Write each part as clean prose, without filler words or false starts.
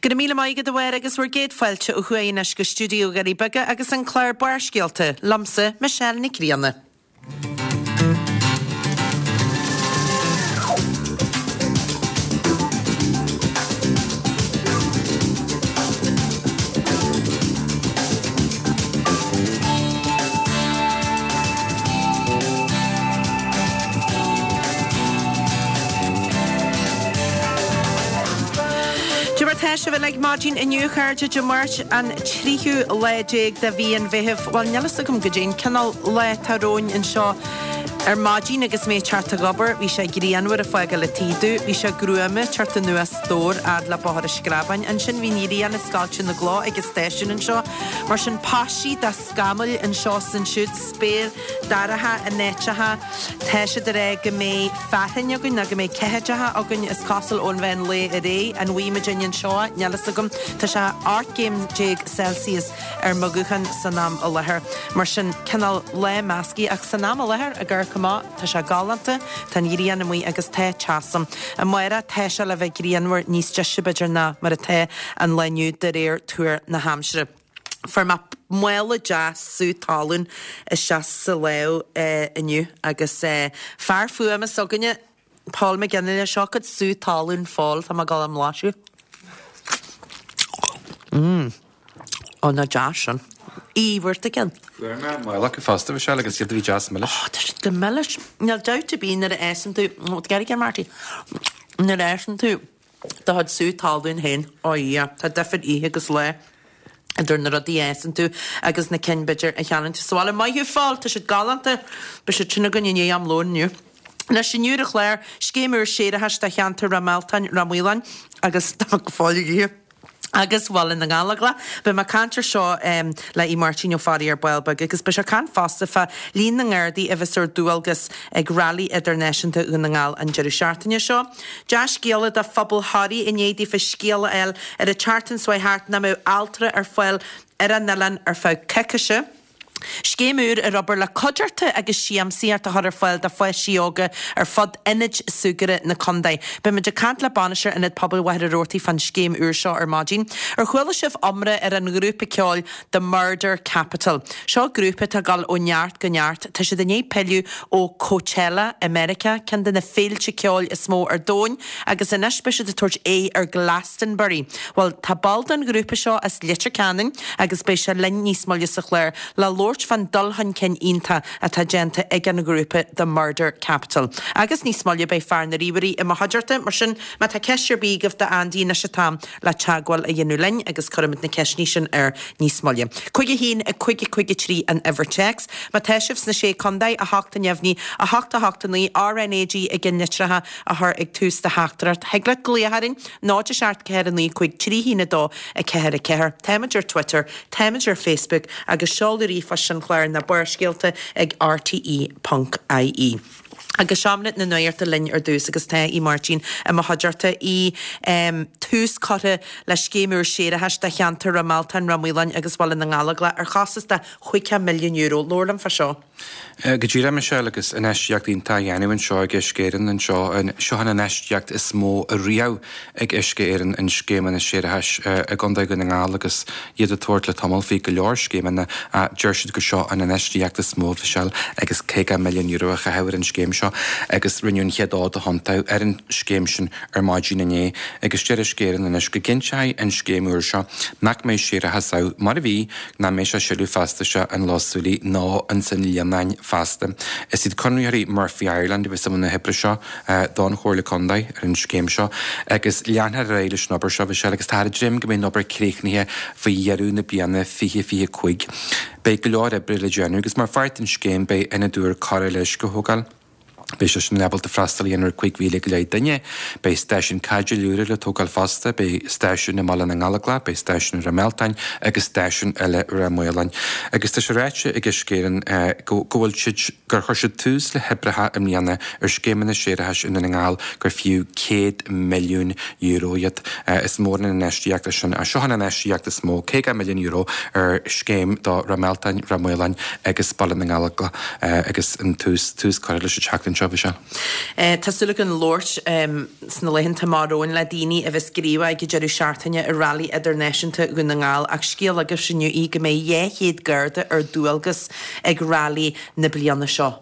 Go raibh míle maith agat a Mháire agus bhur gcéad fáilte ó thuaidh anois go stiúideo Dhoirí Beaga agus an clár Barrscéalta, liomsa, Michelle Nic Grianna. Cad é mar tá sibh uilig maidin inniu, a chairde, Dé Máirt an tríú lá déag de mhí an Mheithimh. Bhuel, níl fhios agam goidé an cineál lá atá romhainn anseo ar maidin agus mé ag teacht ag obair. Bhí sé grianmhar ag fágáil an tí domh. Bhí sé gruama ag teacht anuas Dobhar fhad le Bóthar an Screabáin. Ansin bhí an ghrian ag scoilteadh na gcloch ag an stáisiún anseo. Mar sin paistí de scamaill anseo 's ansiúd, spéir dorcha in áiteacha. Tá siad ag rá go mbeidh fearthainn againn nó go mbeidh ceathaideacha againn is cosúil ón mheán lae ar aghaidh. An bhfaighidh muid anseo? Níl fhios agam. Tá sé 18 gcéim Celsius ar mo ghuthán san am i láthair. Mar sin, cineál lá measctha ach san am i láthair ag amharc amach, tá sé galánta, tá an ghrian amuigh agus tá teas ann. Amárach tá sé le bheith grianmhar níos deise b'fhéidir ná mar atá an lá inniu de réir tuar na haimsire. Fuair mé mála deas sú talún isteach sa lámh inniu agus fear fuaime s'againne, Paul McGinley, seo cuid sú talún Phóil, tá mé ag dul á mblaiseadh. Mmm. Ó nach deas sin. Aoibh, bhfuair tú ceann? Fuair mé mála acu fosta, Michelle, agus iad a bhí deas milis. Ó, tá siad go milis. Níl dabht ar bith nuair a fhásann tú, ó, get again Marty, nuair a fhásann tú do chuid sú talún féin, ó yeah, tá difear oíche agus lá idir na rudaí a fhásann tú agus na cinn b'fhéidir a cheannaíonn tú sa bhaile. Maith thú Phóil, tá siad galánta. Beidh siad sin againn i ndiaidh am lóin inniu. Anois inniu ar an chlár, scéim úr séarachais do cheantar Ráth Mealtain, Ráth Maoláin agus tá mé go fóill ag ithe. agus Bhaile na nGallóglach. Beidh mé ag caint ar seo le Aodh Máirtín Ó Fearraigh ar ball beag agus beidh sé ag caint fosta fá líon na nGardaí a bheas ar dualgas ag Railí Idirnáisiúnta Dhún na nGall an deireadh seachtaine seo. Dea-scéala do phobal Thoraí i ndiaidh daofa scéala a fháil ar an tseachtain seo thart nach mbeadh altra ar fáil ar an oileán ar feadh coicise. Scéim úr ar obair le cuideachta agus siamsaíocht a chur ar fáil do pháistí óga ar fud ionaid súgartha na contae. Beidh muid ag caint le bainisteoir Ionad Pobail Mhachaire Rabhartaigh fán scéim úr seo ar maidin. Ar chuala sibh iomrá ar an ghrúpa ceoil The Murder Capital? Seo grúpa atá ag dul ó neart go neart. Tá siad i ndiaidh pilleadh ó Coachella i Meiriceá, ceann de na féilte ceoil is mó ar domhain, agus anois beidh siad ag tabhairt aghaidh ar Glastonbury. Bhuel, tá ball den ghrúpa seo as Leitir Ceanainn agus beidh sé linn níos moille sa chlár le labhairt fán dul chun cinn iontach atá déanta ag an ghrúpa The Murder Capital. Agus níos moille beidh fear na ríomhairí i mo chuideachta, mar sin má tá ceist ar bith agaibh d'Andy anois an t-am le teagmháil a dhéanamh linn agus cuirfimid na ceisteanna sin air níos moille. 5 1 5 5 3 an uimhir téacs. Má tá sibh sna Sé Contae, 8 neamhní, 8 8 9, RnaG i gceannlitreacha a chur ag tús do theachtaireacht. Thig leat glaoch orainn, 0 7 4 9 5 3 1 2 4 4. Táimid ar Twitter, táimid ar Facebook agus seoladh ríomhphoist an chláir ná Barrscéalta ag rte.ie. Agus seomra na nuachta linn ar dtús agus tá Aodh Máirtín i mo chuideachta. Aodh, tús curtha le scéim úr séarachais do cheantar Ráth Mealtain, Ráth Maoláin agus Bhaile na nGallóglach ar chostas de €50 milliún. Labhair liom fá seo. Go díreach, Michelle, agus infheistíocht iontach á dhéanamh anseo ag Uisce Éireann anseo. Seo an infheistíocht is mó ariamh ag Uisce Éireann in scéimeanna séarachais i gContae Dhún na nGall agus iad ag tabhairt le tamall faoi go leor scéimeanna. Deir siad gur seo an infheistíocht is mó, Michelle, agus €50 milliún a chaitheamh ar an scéim seo agus rinneadh an chéad fhód a thiontú ar an scéim sin ar maidin inné agus deir Uisce Éireann anois go gcinnteoidh an scéim úr seo nach mbeidh séarachas ann mar a bhí nach mbeidh sé ag sileadh feasta isteach in Loch Súilí ná ins an Líonán feasta. Is iad conraitheoirí Murphy Ireland a bheas i mbun na hoibre seo don Chomhairle Contae ar an scéim seo agus leanfar ar aghaidh leis an obair seo, Michelle, agus táthar ag dréim go mbeidh an obair críochnaithe faoi dheireadh na bliana 2025. Beidh go leor oibre le déanamh agus mar pháirt den scéim beidh ionad úr cóireáil uisce á thógáil. Beidh sé sin ábalta freastal a dhéanamh ar 5,000 go leith duine. Beidh stáisiún caidéil úra le tógáil fosta, beidh stáisiún i mBaile na nGallóglach, beidh stáisiún i Ráth Mealtain agus stáisiún eile i Ráth Maoláin. Agus tá sé ráite ag Uisce Éireann go bhfuil siad, gur chuir siad tús le hoibreacha i mbliana ar scéimeanna séarachais i nDún na nGall gur fiú €100 milliún iad. Is mór an infheistíocht é sin. Seo an infheistíocht is mó, €50 milliún ar scéim do Ráth Mealtain, Ráth Maoláin agus Baile na nGallóglach. agus an tús, tús curtha leis an tseachtain seo. anseo, Michelle. Tá súil againn labhairt sna laethanta amach romhainn le daoine a bheas gníomhach ag an deireadh seachtaine i Railí Idirnáisiúnta Dhún na nGall ach scéal agaibhse inniu í go mbeidh 200 Garda ar dualgas ag Railí na bliana seo.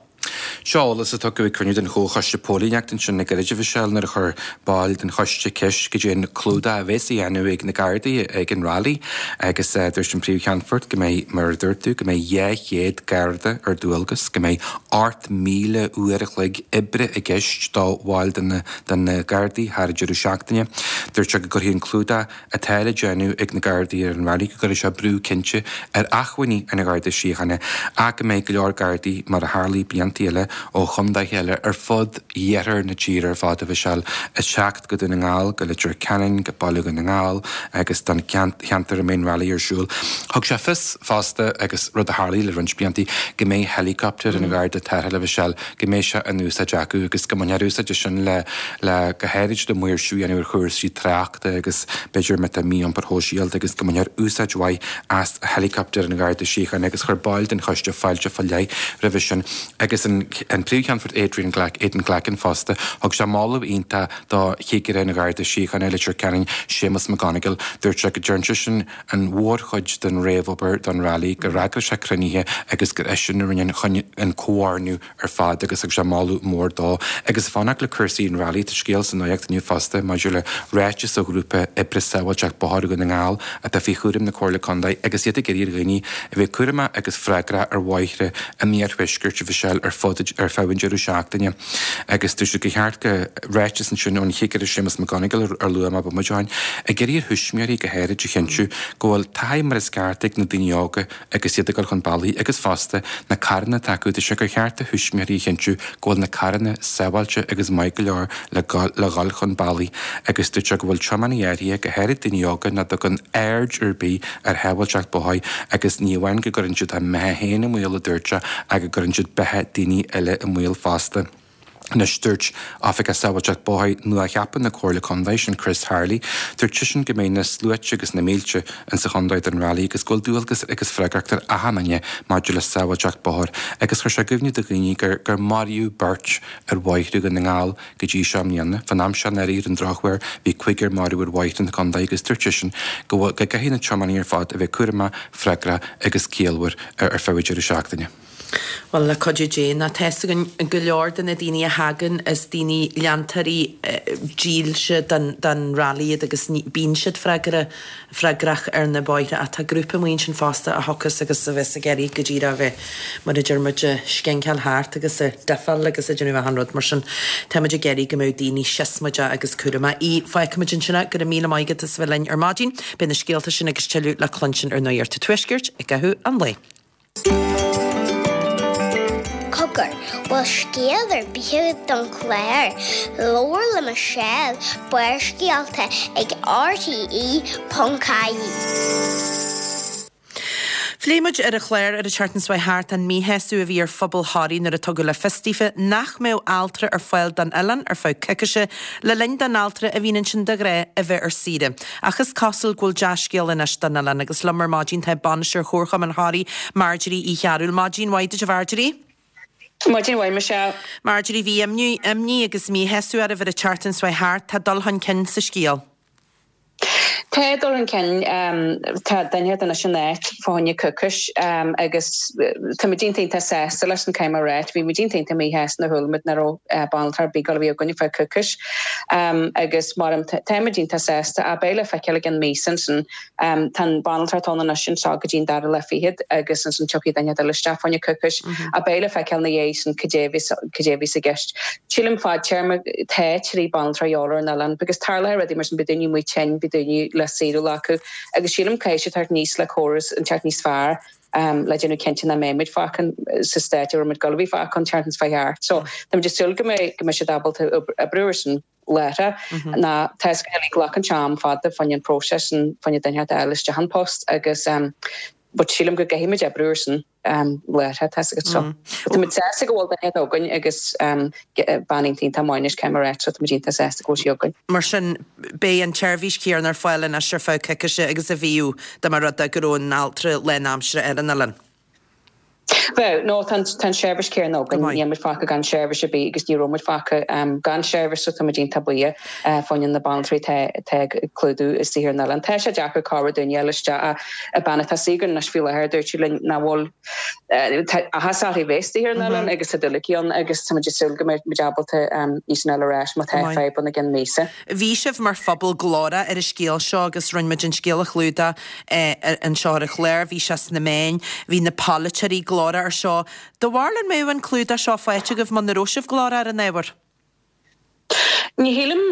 Seo eolas a tugadh ag cruinniú den Chomhchoiste Póilíneachta ansin le gairid, a Mhichelle, nuair a chuir baill den choiste ceist goidé an clúdach a bheas á dhéanamh ag na Gardaí ag an Railí agus dúirt an Príomh-Cheannfort go mbeidh, mar a dúirt tú, go mbeidh 200 Garda ar dualgas, go mbeidh 8,000 uair a chloig oibre i gceist do bhaill de na de na Gardaí thar an deireadh seachtaine. Dúirt sé go gcuirfidh an clúdach atá le déanamh ag na Gardaí ar an Railí, go gcuirfidh sé brú cinnte ar acmhainní an Gharda Síochána ach go mbeidh go leor Gardaí, mar a tharlaigh blianta eile, ó chondaetha eile ar fud iarthar na tíre ar fad, a Mhichelle, ag teacht go Dún na nGall, go Leitir Ceanainn, go Baile Dhún na nGall agus don cheantar a mbeidh an Railí ar siúl. Thug sé fios fosta, agus rud a tharlaigh le roinnt blianta, go mbeidh helicopter an Gharda Tarrthála, a Mhichelle, go mbeidh sé in úsáid acu agus go mbainfear úsáid as sin le, le, go háirid le maoirsiú a dhéanamh ar chúrsaí tráchta agus b'fhéidir má tá mí-iompar shóisialta agus go mbainfear úsáid mhaith as helicopter an Gharda Síochána agus chuir baill den choiste fáilte fá leith roimhe sin agus an, an Príomh-Cheannfort Adrian Glack, Aidan Glackin fosta, thug sé moladh iontach do Chigire an Gharda Síochána i Leitir Ceanainn, Séamus McGonigle. Dúirt sé go dtearn seisean an mhórchuid den réamhobair don Railí, gur eagraigh sé cruinnithe agus gur eisean a rinne an comhordú ar fad agus thug sé moladh mór dó. Agus fanacht le cúrsaí an Railí, tá scéal sa nuacht inniu fosta maidir le ráiteas ó ghrúpa oibre sábháilteacht bóthair Dhún na nGall atá faoi chúram na Comhairle Contae agus iad ag iarraidh ar dhaoine a bheith cúramach agus freagrach ar bhóithre an iarthuaiscirt a Mhichelle ar fud ar feadh an deireadh seachtaine. Agus dúirt siad gur cheart go ráiteas ansin ón Chigire Séamus McGonigle ar luaigh mé bomaite ó shin, ag iarraidh ar thuismitheoirí go háirid a chinntiú go bhfuil taithí mar is ceart ag na daoine óga agus iad ag dul chun bealaigh agus fosta na carranna atá acu, dúirt sé gur cheart do thuismitheoirí a chinntiú go bhfuil na carranna sábháilte agus maith go leor le le dhul chun bealaigh agus dúirt sé go bhfuil tiománaithe áirithe, go háirid daoine óga, nach dtugann aird ar bith ar shábháilteacht bóthair agus ní amháin go gcuireann siad a mbeatha féin i mbaol, a dúirt sé, ach go gcuireann siad beatha daoine eile i mbaol fosta. Anois, dúirt Oifigeach Sábháilteacht Bóthair nua-cheaptha na Comhairle Contae, sin Chris Harley, dúirt seisean go mbeidh na sluaite agus na mílte insa chontae don Railí agus go bhfuil dualgas agus freagracht ar achan duine maidir le sábháilteacht bóthair agus chuir sé i gcuimhne do dhaoine gur gur maraíodh beirt ar bhóithre Dhún na nGall go dtí seo i mbliana. Fán am seo anuraidh ar an drochuair bhí cúigear marbh ar bhóithre na contae agus dúirt seisean go bhfuil go gcaithfidh na tiománaithe ar fad a bheith cúramach, freagrach agus ciallmhar ar feadh an deireadh seachtaine. Bhuel, le cuidiú Dé, ná tá fhios againn go leor de na daoine a thagann, is daoine leantóirí dílse den den Rally iad agus ní bíonn siad freagra freagrach ar na bóithre ach tá grúpa amuigh ansin fosta a thiocfas agus a bheas ag iarraidh go díreach a bheith, mar a deir muid, ag scinceáil thart agus ag diffáil agus ag déanamh achan rud mar sin. Tá muid ag iarraidh go mbeadh daoine siosmaideach agus cúramach. Aodh, fágfaidh muid ansin é. Go raibh míle maith agat as a bheith linn ar maidin. Beidh na scéalta sin agus tuilleadh le cluinstin ar Nuacht an Tuaiscirt i gcaitheamh an lae. Cogar, bhfuil scéal ar bith agat don chlár? Labhair le Michelle, Barrscéalta ag rte.ie. Phléigh muid ar an chlár ar an tseachtain seo thart an míshásamh a bhí ar phobal Thoraí nuair a tugadh le fios daofa nach mbeadh altra ar fáil don oileán ar feadh coicise le linn don altra a bhíonn ansin de ghnáth a bheith ar saoire. Ach is cosúil go bhfuil dea-scéala anois don oileán agus liom ar maidin tá Bainisteoir Chomharchumann Thoraí, Marjorie Uí Chearúil. Maidin mhaith duit a Mharjorie. Maidin mhaith, Michelle. Marjorie, bhí imní, imní agus míshásamh oraibh ar an tseachtain seo thart. Tá dul chun cinn sa scéal. Tá dul chun cinn. Tá duine anois in áit fá choinne coicís agus tá muid iontach iontach sásta leis sin caithfidh mé a ráit. Bhí muid iontach iontach míshásta nuair a chuala muid nach raibh banaltra ar bith ag dul a bheith againn ar feadh coicís. Agus mar táimid iontach sásta ach beidh le feiceáil i gceann míosa ansin. Tá an banaltra atá ann anois anseo go dtí an dara lá fichead agus ansin tiocfaidh duine eile isteach fá choinne coicís ach beidh le feiceáil ina dhiaidh sin cad é a bheas cad é a bheas i gceist. Sílim fadtéarma tá trí banaltra a dhíobháil ar an oileán because tarlaíonn rudaí mar sin beidh daoine amuigh tinn, beidh daoine le saoire lá acu agus sílim caithfidh sé teacht aníos le córas inteacht níos fearr le déanamh cinnte nach mbeidh muid fágtha sa staid a raibh muid ag dul a bheith fágtha an tseachtain seo thart. So táimid ag súil go mbeidh go mbeidh siad ábalta oibriú ar sin láithreach. Ná tá fhios againn glacann sé am fada fá choinne an próiseas sin fá choinne duine a fháil isteach an post agus but sílim go gcaithfidh muid oibriú ar sin láithreach tá fhios agat. So táimid sásta go bhfuil duine againn agus bean iontach iontach maith anois caithfidh mé a ráit so táimid iontach sásta go bhfuil sí againn. Mar sin, beidh an tseirbhís chéanna ar fáil anois ar feadh coicíse agus a bhíodh dá mba rud é go raibh an altra lánaimseartha ar an oileán. Bheadh, no tá an tseirbhís céanna againn, níl muid fágtha gan seirbhís ar bith agus ní raibh muid fágtha gan seirbhís so tá muid iontach buíoch fá choinne na banaltraí atá atá ag clúdú istigh ar an oileán. Tá sé deacair corradh duine a fháil isteach ach an bean atá istigh againn anois faoi láthair dúirt sí linn nach bhfuil tá áthas uirthi bheith istigh ar an oileán agus tá dúil aici ann agus tá muid ag súil go mbeidh muid ábalta í sin a fháil ar ais má tá fadhb ann i gceann míosa. Bhí sibh mar phobal glórach ar an scéal seo agus rinne muid an scéal a chlúdach anseo ar an chlár, bhí sé sna meáin, bhí na polaiteoirí glórach ar seo. Do bharúil an mbeadh an clúdach seo faighte agaibh muna raibh sibh glórach ar an ábhar? Ní shílim,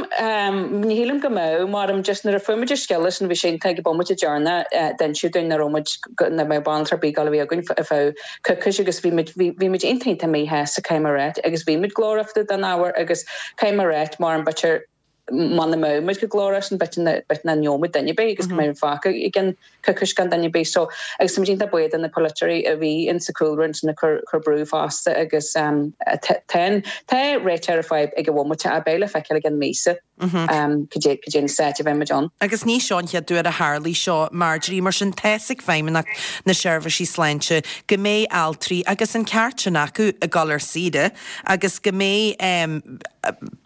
ní shílim go mbeadh, mar just nuair a fuair muid an scéala sin bhí sé iontach ag an bomaite deireanach d'inseadh dúinn nach raibh muid, nach mbeadh banaltra ar bith ag dul a bheith againn ar feadh coicís agus bhí muid, bhí, bhí muid iontach iontach míshásta caithfidh mé a ráit agus bhí muid glórach fá dtaobh den ábhar agus caithfidh mé a ráit mar an b'fhéidir muna mbeadh muid chomh glórach sin b'fhéidir nach, b'fhéidir nach ngeobhadh muid duine ar bith agus go mbeadh muid fágtha i gceann coicís gan duine ar bith so agus tá muid iontach buíoch do na polaiteoirí a bhí in sa chúlra ansin ag cur, cur brú fosta agus tá, tá réiteach ar an fadhb ag an bhomaite ach beidh le feiceáil i gceann míosa. Cad é an staid a bheidh muid ann. Agus ní seo an chéad uair a tharlaigh seo, Marjorie, mar sin tá's ag Feidhmeannacht na Seirbhísí Sláinte go mbeidh altraí, agus an ceart sin acu, ag dul ar saoire agus go mbeidh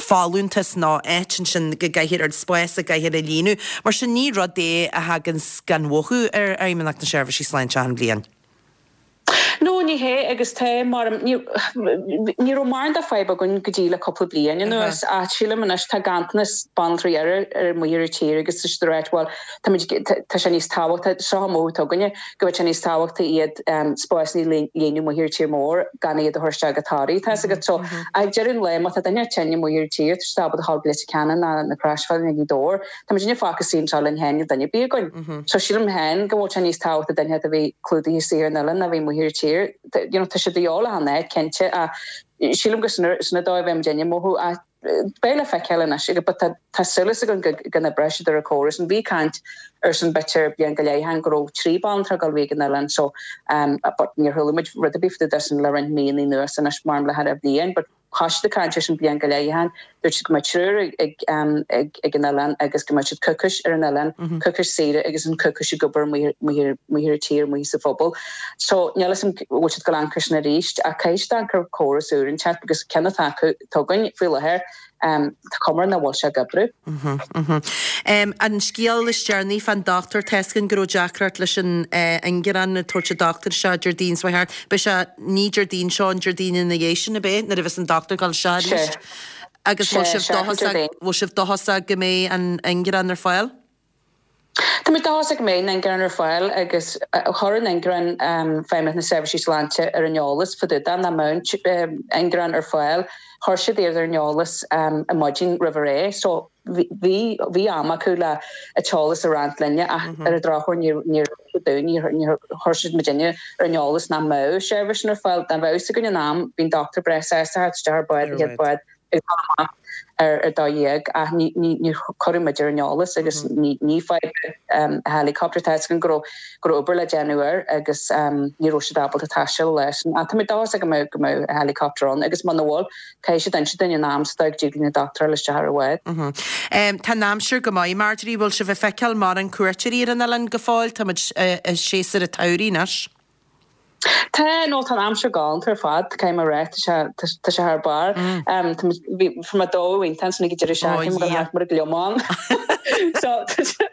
folúntas nó áit ansin go gcaithfear, ar spás a gcaithfear a líonadh. Mar sin ní rud é a thaganns gan mhothú ar Fheidhmeannacht na Seirbhísí Sláinte achan bhliain. No, ní hé, agus tá, mar, ní, ní raibh mórán de fadhb againn go dtí le cúpla bliain anuas, ach sílim anois tá ganntanas banaltraí ar, ar amuigh ar an tír agus tá siad ag ráit, bhuel, tá muid, tá sé níos tábhachtaí, seo an mothú atá againne, go bhfuil sé níos tábhachtaí iad spásanna a líonadh amuigh ar an tír mór gan iad a chur isteach go Toraigh, tá 'fhios agat. So, ag deireadh an lae, má tá duine tinn amuigh ar an tír, tá siad ábalta dhul go Leitir Ceanainn ná na Croisbhealaí nó Gaoth Dobhair, Tá muidinne fágtha istigh anseo linn féin, níl duine ar bith againn. So sílim féin go bhfuil sé níos tábhachtaí duine a bheith clúdaithe istigh ar an oileán ná a bheith amuigh ar an tír. You know, tá sé de dhíobháil achan áit, cinnte, ach sílim gur sin an dóigh a bheidh muidinne ag mothú ach beidh le feiceáil anois agus but tá tá súil againn go go n-oibreoidh siad ar an chóras. And bhí caint ar sin b'fhéidir bliain go leith ó shin go raibh 3 banaltra ag dul a bheith ag an oileán so um but níor chuala muid rud ar bith fá dtaobh de sin le roinnt míonna anuas anois mar le thar bhliain but Thosaigh siad ag caint air sin bliain go leith ó shin. Dúirt siad go mbeadh triúr ag an oileán agus go mbeadh siad coicís ar an oileán, coicís saoire agus an coicís ag obair amuigh ar an tír, amuigh sa phobal. So níl 'fhios a'm bhfuil siad ag dul amharc air sin arís ach caithfidh siad amharc ar chóras úr inteacht because ceann atá acu, atá againn faoi láthair, tá cuma air nach bhfuil sé ag oibriú. An scéal is deireanaí fán dochtúir, tá's againn go raibh deacracht leis an ingearán ag tabhairt an dochtúir isteach Déardaoin seo thart. Beidh sé ní Déardaoin seo, an Déardaoin ina dhiaidh sin, ab é, nuair a bheas an dochtúir ag dul isteach arís? Agus bhfuil sibh dóchasach, bhfuil sibh dóchasach go mbeidh an ingearán ar fáil? Tá muid dóchasach go mbeidh an ingearán ar fáil agus chuir an ingearán Feidhmeannacht na Seirbhísí Sláinte ar an eolas fá dtaobh de nach mbeadh an ingearán ar fáil. Chuir siad iad ar an eolas ar maidin roimh ré so bhí bhí am acu le an t-eolas a roinnt linne ach ar an drochuair níor níor dúinn níor níor chuir siad muidinne ar an eolas nach mbeadh seirbhís sin ar fáil. Dá mbeadh 'fhios againn in am bhí an dochtúir breá sásta theacht isteach ar bád an chéad bád ag dul amach ar 12 ach ní ní níor cuireadh muid ar an eolas agus ní ní fadhb an helicopter tá 'fhios againn go raibh go raibh obair le déanamh air agus ní raibh siad ábalta taisteal leis. Ach tá muid dóchasach go mbeidh go mbeidh helicopter ann agus muna bhfuil caithfidh siad inse dúinn in am sa dóigh go dtig linn an dochtúir a fháil isteach ar an bhád. Tá an aimsir go maith, Marjorie, bhfuil sibh ag feiceáil mórán cuairteoirí ar an oileán go fóill? Tá muid i séasúr an tsamhraidh anois. Tá, nó tá an aimsir galánta ar fad, caithfidh mé a rá, tá sé, tá sé thar barr. Tá muid, bhí, fuair mé dóigh iontach ansin ag an deireadh seachtaine, mo dhul thart mar a gliomán. So, tá sé,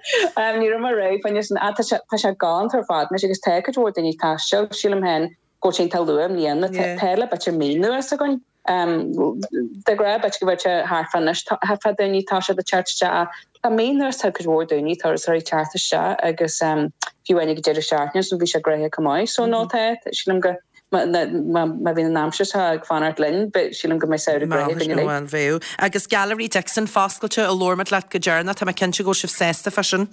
ní raibh mé réidh fá choinne sin, ach tá sé, tá sé galánta ar fad anois agus tá cuid mhór daoine ag taisteal, sílim féin go bhfuil sé iontach luath i mbliana, tá le b'fhéidir mí anuas againn. De ghnáth b'fhéidir go bhfuil sé thart fá anois, thart fá daoine tá siad ag teacht isteach ach le mí anuas tá cuid mhór daoine turasóirí ag teacht isteach agus fiú amháin ag an deireadh seachtaine so bhí sé gnoitheach chomh maith so no tá sílim go má bhíonn an aimsir seo ag fanacht linn sílim go mbeidh samhradh gnoitheach againn uilig. Bhuel bheadh. Agus Gallery Dixon foscailte a labhair muid leat go deireanach, tá mé cinnte go bhfuil sibh sásta fá sin.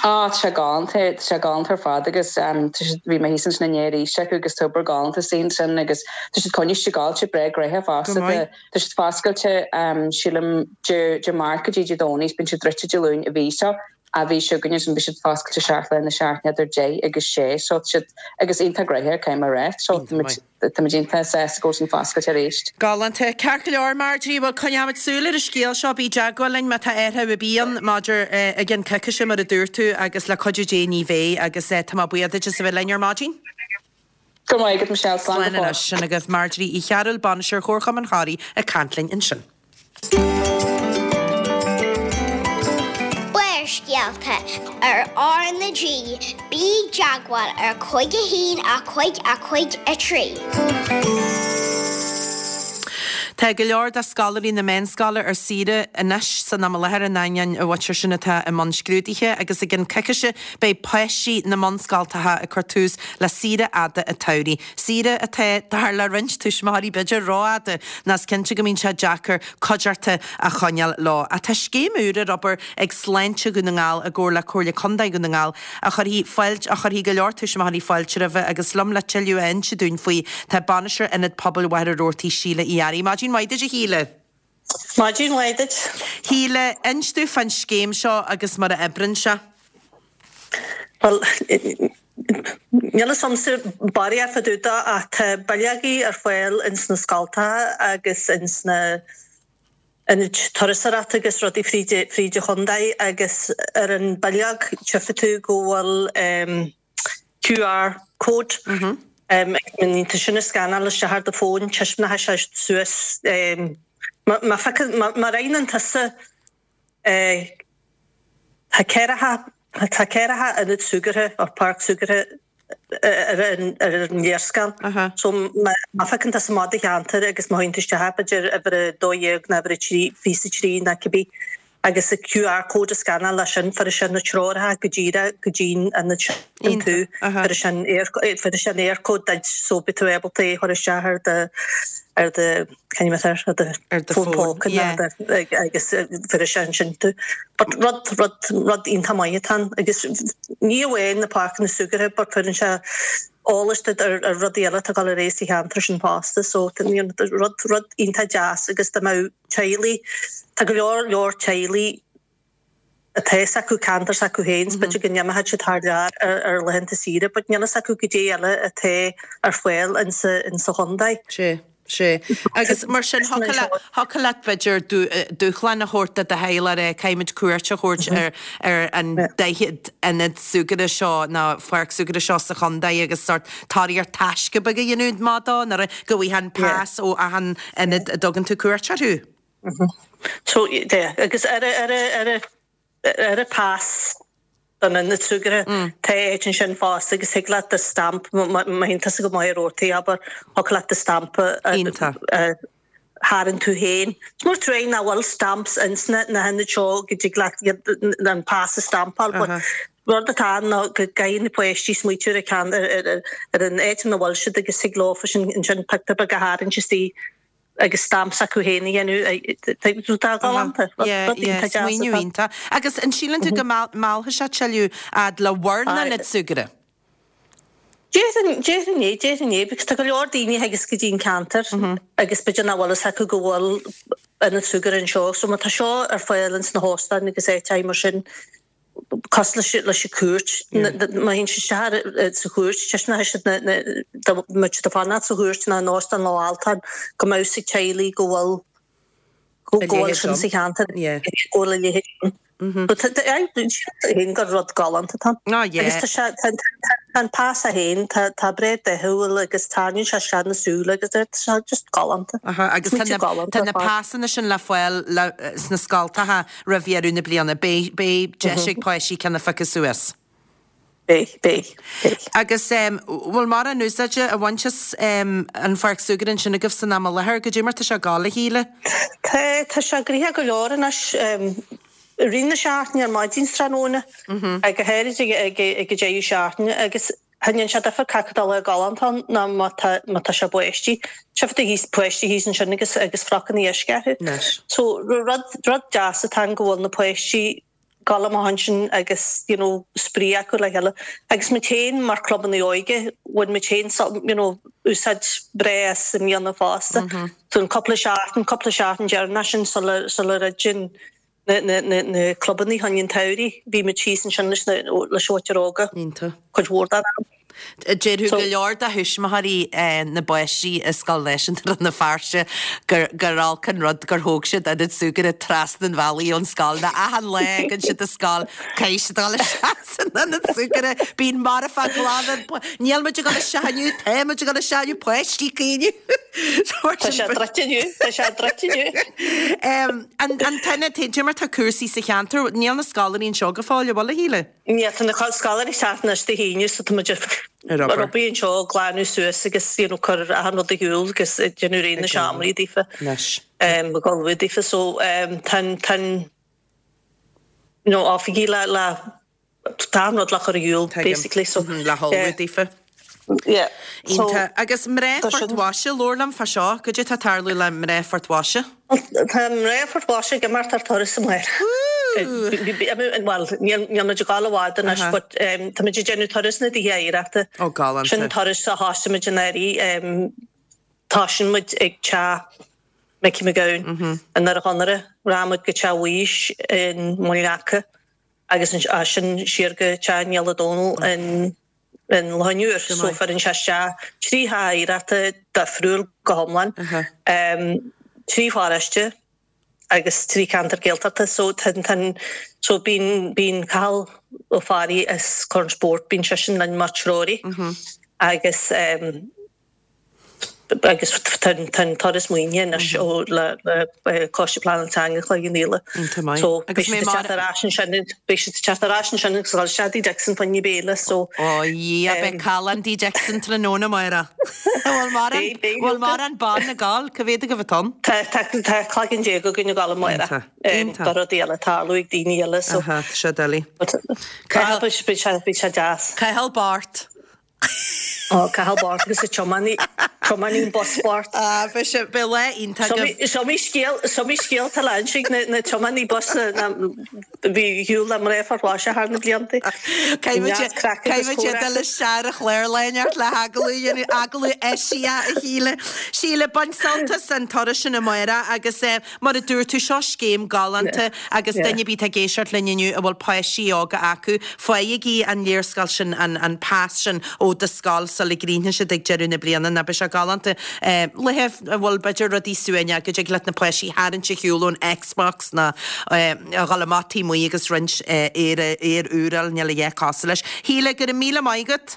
Á, tá sé galánta, tá sé galánta ar fad agus tá siad, bhí mé thíos ansin inné arís acu agus tá obair galánta istigh ansin agus tá siad coinnithe siad breá gnoitheach fosta, Go maith. tá siad foscailte sílim Dé, Dé Máirt go dtí Dé Domhnaigh, bíonn siad druidte Dé Luain an mhí seo, an mhí seo chugainn ansin beidh siad foscailte seacht lá na seachtaine idir 10 agus 6 so tá siad, agus iontach gnoitheach caithfidh mé a rá, so Iontach maith. Tá muid iontach sásta go bhfuil sin foscailte arís. Galánta. Ceart go leor, Marjorie, bhuel coinneoimid súil ar an scéal seo, bí i dteagmháil linn má tá athrú ar bith ann maidir i gceann coicíse mar a dúirt tú agus le cuidiú Dé ní bheidh agus tá mé buíoch duit as a bheith linn ar maidin. Go raibh maith agat Michelle, slán go fóill. Slán anois. Sin agaibh Marjorie Uí Chearúil, Bainisteoir Chomharchumann Thoraí ag caint linn ansin. Barrscéalta ar R na G, bí i dteagmháil ar 5 1 5 5 3. Tá go leor de scoláirí na meánscoile ar saoire anois san am i láthair in ainneoin a mhuintir sin atá i mbun scrúduithe agus i gcionn coicíse beidh páistí na mbunscoltacha ag cur tús le saoire fhada an tsamhraidh. Saoire atá, dar le roinnt tuismitheoirí, b'fhéidir rófhada, nó is cinnte go mbíonn sé deacair cuideachta a choinneáil leo. Ach tá scéim úr ar obair ag Sláinte Dhún na nGall i gcomhar le Comhairle Contae Dhún na nGall a chuirfidh fáilte, a chuirfidh go leor tuismitheoirí fáilte roimhe agus liom le tuilleadh a inse dúinn faoi tá Bainisteoir Ionad Pobail Mhachaire Rabhartaigh, Síle Uí Fhearraigh. Maidin mhaith duit a Shíle. Maidin mhaith duit. Shíle, inis dúinn fán scéim seo agus mar a oibríonn sé. Bhuel, níl fhios a'msa barraíocht fá dtaobh de ach tá bileogaí ar fáil ins na scoltacha agus ins na ionaid turasóireachta agus rudaí fríd fríd an chontae agus ar an bileog tchífidh tú go bhfuil QR code agus má ndéanann tú sin a scanáil isteach ar do fón taispeánfaidh sé suas má má phiocann má má roghnaíonn tusa Tá ceathracha, tá ceathracha ionad súgartha or páirc súgartha ar an ar an léarscáil. So má má phiocann tusa amach do cheantar agus má théann tú isteach b'fhéidir uimhir a 12 nó uimhir a 3, 23 nó cibé agus an QR code a scanáil leis sin fuair sé na treoracha go díreach go dtí'n ionad sin tú. Fuair sé an fuair sé an Eircode duit so beidh tú ábalta é a chur isteach ar do ar do Can you ar do fón póca agus fuair sé ansin tú. But rud, rud, rud iontach maith atá ann agus ní amháin na páirceanna súgartha but cuireann sé eolas duit ar ar rudaí eile atá ag dul ar aghaidh sa cheantar sin fosta so rud, rud iontach deas agus dá mbeadh teaghlaigh, tá go leor leor teaghlaigh atá fhios acu ceantar s'acu féin, 's b'fhéidir go n-imeochadh siad thar lear ar laethanta saoire, but níl fhios acu goidé eile atá ar fáil insa insa chontae. Sea, sea. Agus mar sin, thiocfadh leat b'fhéidir dúshlán a thabhairt do do theaghlach, eh, caithfimid cuairt a thabhairt ar ar an 40 ionad súgartha seo nó pháirc súgartha seo sa chontae agus sórt tóraíocht taisce beag a dhéanamh amach dó nuair go bhfaighfeá an pas ó achan ionad a dtugann tú cuairt orthu. So, yeah, agus ar a, ar a, ar a, ar an pas don ionad súgartha, tá áit ansin fosta agus thig leat do stamp, má théann tusa go Machaire Rabhartaigh, abair, thiocfadh leat do stamp a, a tharraingt tú féin. Is mór truaí nach bhfuil stamps ins na, na hionaid seo go dtig leat iad, an pas a stampáil, but rud atá ann ná go gcaithfidh na páistí smaoitiú ar an ceann, ar, ar, ar an áit ina bhfuil siad agus thig leofa sin ansin pictiúr beag a tharraingt istigh agus stamp s'acu féin a dhéanamh. Tá galánta. Yeah, yeah, smaoineamh iontach. Agus an síleann tú go meallfaidh sé tuilleadh fhad le bhur n-ionad súgartha? Déarfainn, déarfainn é, déarfainn é, because tá go leor daoine a thigeas go dtí an ceantar agus b'fhéidir nach bhfuil fhios acu go bhfuil ionad súgartha anseo. So má tá seo ar fáil ins na hóstáin agus áiteacha mar sin, cosúil leis an chúirt, má théann siad isteach sa chúirt, taispeánfaidh siad dá mbeadh siad ag fanacht sa chúirt nó in Óstán Loch Altáin go mbeadh fhios ag teaghlaigh go bhfuil go bhfuil sin sa cheantar, go bhfuil a leithéid ann. Sílim gur rud galánta atá ann. Agus tá sé, tá an pas é féin, tá tá breá dathúil agus tarraingíonn sé isteach na súile agus tá sé just galánta. Agus tá na pasanna sin le fáil sna scoltacha Roimh dheireadh na bliana, beidh, beidh deis ag páistí ceann a phiocadh suas. Beidh, beidh, beidh. Agus bhfuil mórán úsáide á bhaint as an pháirc súgartha ansin agaibh san am i láthair? Goidé mar tá sé ag gabháil, a Shíle? Tá, tá sé gnoitheach go leor anois. I rith na seachtaine, ar maidin 's tráthnóna, go háirid ag, ag, ag an deireadh seachtaine agus Cha ndéanann sé difear cé acu de lá galánta ann ná má tá má tá sé báistí. Tchífidh tú thíos páistí thíos ansin agus agus frocanna uisce orthu. Anois. So rud rud deas atá ann go bhfuil na páistí ag dul amach ansin agus you know spraoi acu le chéile. Agus muid féin mar clubanna óige bhain muid féin you know úsáid breá as i mbliana fosta. So an cúpla seachtain cúpla seachtain deireanach sin sula sula dhruideann na clubanna chun an tsamhraidh. Bhí muid thíos ansin leis na leis an mhuintir óga. Iontach. Cuid mhór den am. Déarfadh go leor de thuismitheoirí na bpáistí i Scoil Náisiúnta Rann na Feirste gur olc an rud gur thóg siad ionad súgartha trasna an bhealaigh ón scoil nó achan lá a thagann siad an scoil caithfidh siad dul isteach san ionad súgartha. Bíonn marfach ag glanadh, níl muid ag dul isteach inniu, tá muid ag dul isteach inniu, páistí ag caoineadh. Tá sé druidte inniu, tá sé druidte inniu. An t-ionad, cad é mar tá cúrsaí sa cheantar, níl na scoláirí anseo go fóill, an bhfuil a Shíle? Níl, tá na scoláirí ag teacht anois Dé hAoine so tá muid ar obair anseo ag glanadh suas agus you know cur achan rud ar shiúl agus ag déanamh réidh na seomraí daofa. Anois. Ag ullmhú daofa so tá an tá an you know oifigí le le tá achan rud le cur ar shiúl basically so. Le hullmhú daofa. Yeah. Iontach. Agus mná Phort Mhaise, labhair liom fá seo, goidé tá ag tarlú le mná Phort Mhaise? Tá mná Phort Mhaise ag imeacht ar turas amárach. Bhuel, níl muid ag dul i bhfad anois but tá muid ag déanamh turas na dTithe Oidhreachta. Ó, galánta. Sin turas a thosaigh muid anuraidh. Tosaíonn muid ag teach Mickey McGowan i nDoire Chonaire, rachaidh muid go teach Mhaois i Muileann gCeaca agus as sin siar go teach Niall Ó Dónaill in in Loch an Iúir. So cuireann sé isteach 3 theach oidhreachta difriúil go hiomlán, 3 pharóiste agus 3 ceantar Gaeltachta. So tá an, so bíonn, bíonn Cathal Ó Fearraigh as Corn Spóirt, bíonn seisean linn mar treoraí agus agus tá an turas maoinithe anois ó le Coiste Pleanála Teanga Chloich Cheann Fhaola. Iontach maith. So beidh siad ag teacht ar ais ansin, beidh siad ag teacht ar ais ansin agus ag dul isteach Dí Dixon fá choinne béile so. Ó yeah, beidh callán Dí Dixon tráthnóna amárach. Bhfuil mórán, bhfuil mórán ban ag gabháil? Cá mhéad agaibh atá ann? Tá, tá, tá cloigeann déag againn ag gabháil amárach. Iontach, iontach. Tá rudaí eile ag tarlú ag daoine eile so. Aha, tá sé doiligh. Cathal, beidh sé, beidh sé deas. Cathal Bart. Ó, Cathal Bart agus an tiománaí, tiománaí an bus Bart. Ah, beidh sé, beidh lá iontach agaibh. Is iomaí scéal, is iomaí scéal atá le inse ag na, na tiománaí bus a, a bhí ar shiúl le mná Phort Láirge thar na blianta. Caithfidh muid, caithfidh muid dul isteach ar an chlár lá inteacht le hagallamh a dhéanamh, agallamh eisiach a Shíle. Síle, bain sult as an turas sin amárach agus eh, Mar a dúirt tú, seo scéim galánta agus duine ar bith atá ag éisteacht linn inniu a bhfuil páistí óga acu, faighigí an léarscáil sin, an pas sin ó do scoil sula gcríochnaíonn siad ag deireadh na bliana nó beidh sé galánta. Laethe a bhfuil b'fhéidir rudaí suaimhneach, go dtig leat na páistí a tharraingt ar shiúl ón Xbox nó a dhul amach taobh amuigh agus roinnt aer aer úr a fháil, níl a dhath cosúil leis. Shíle, go raibh míle maith agat.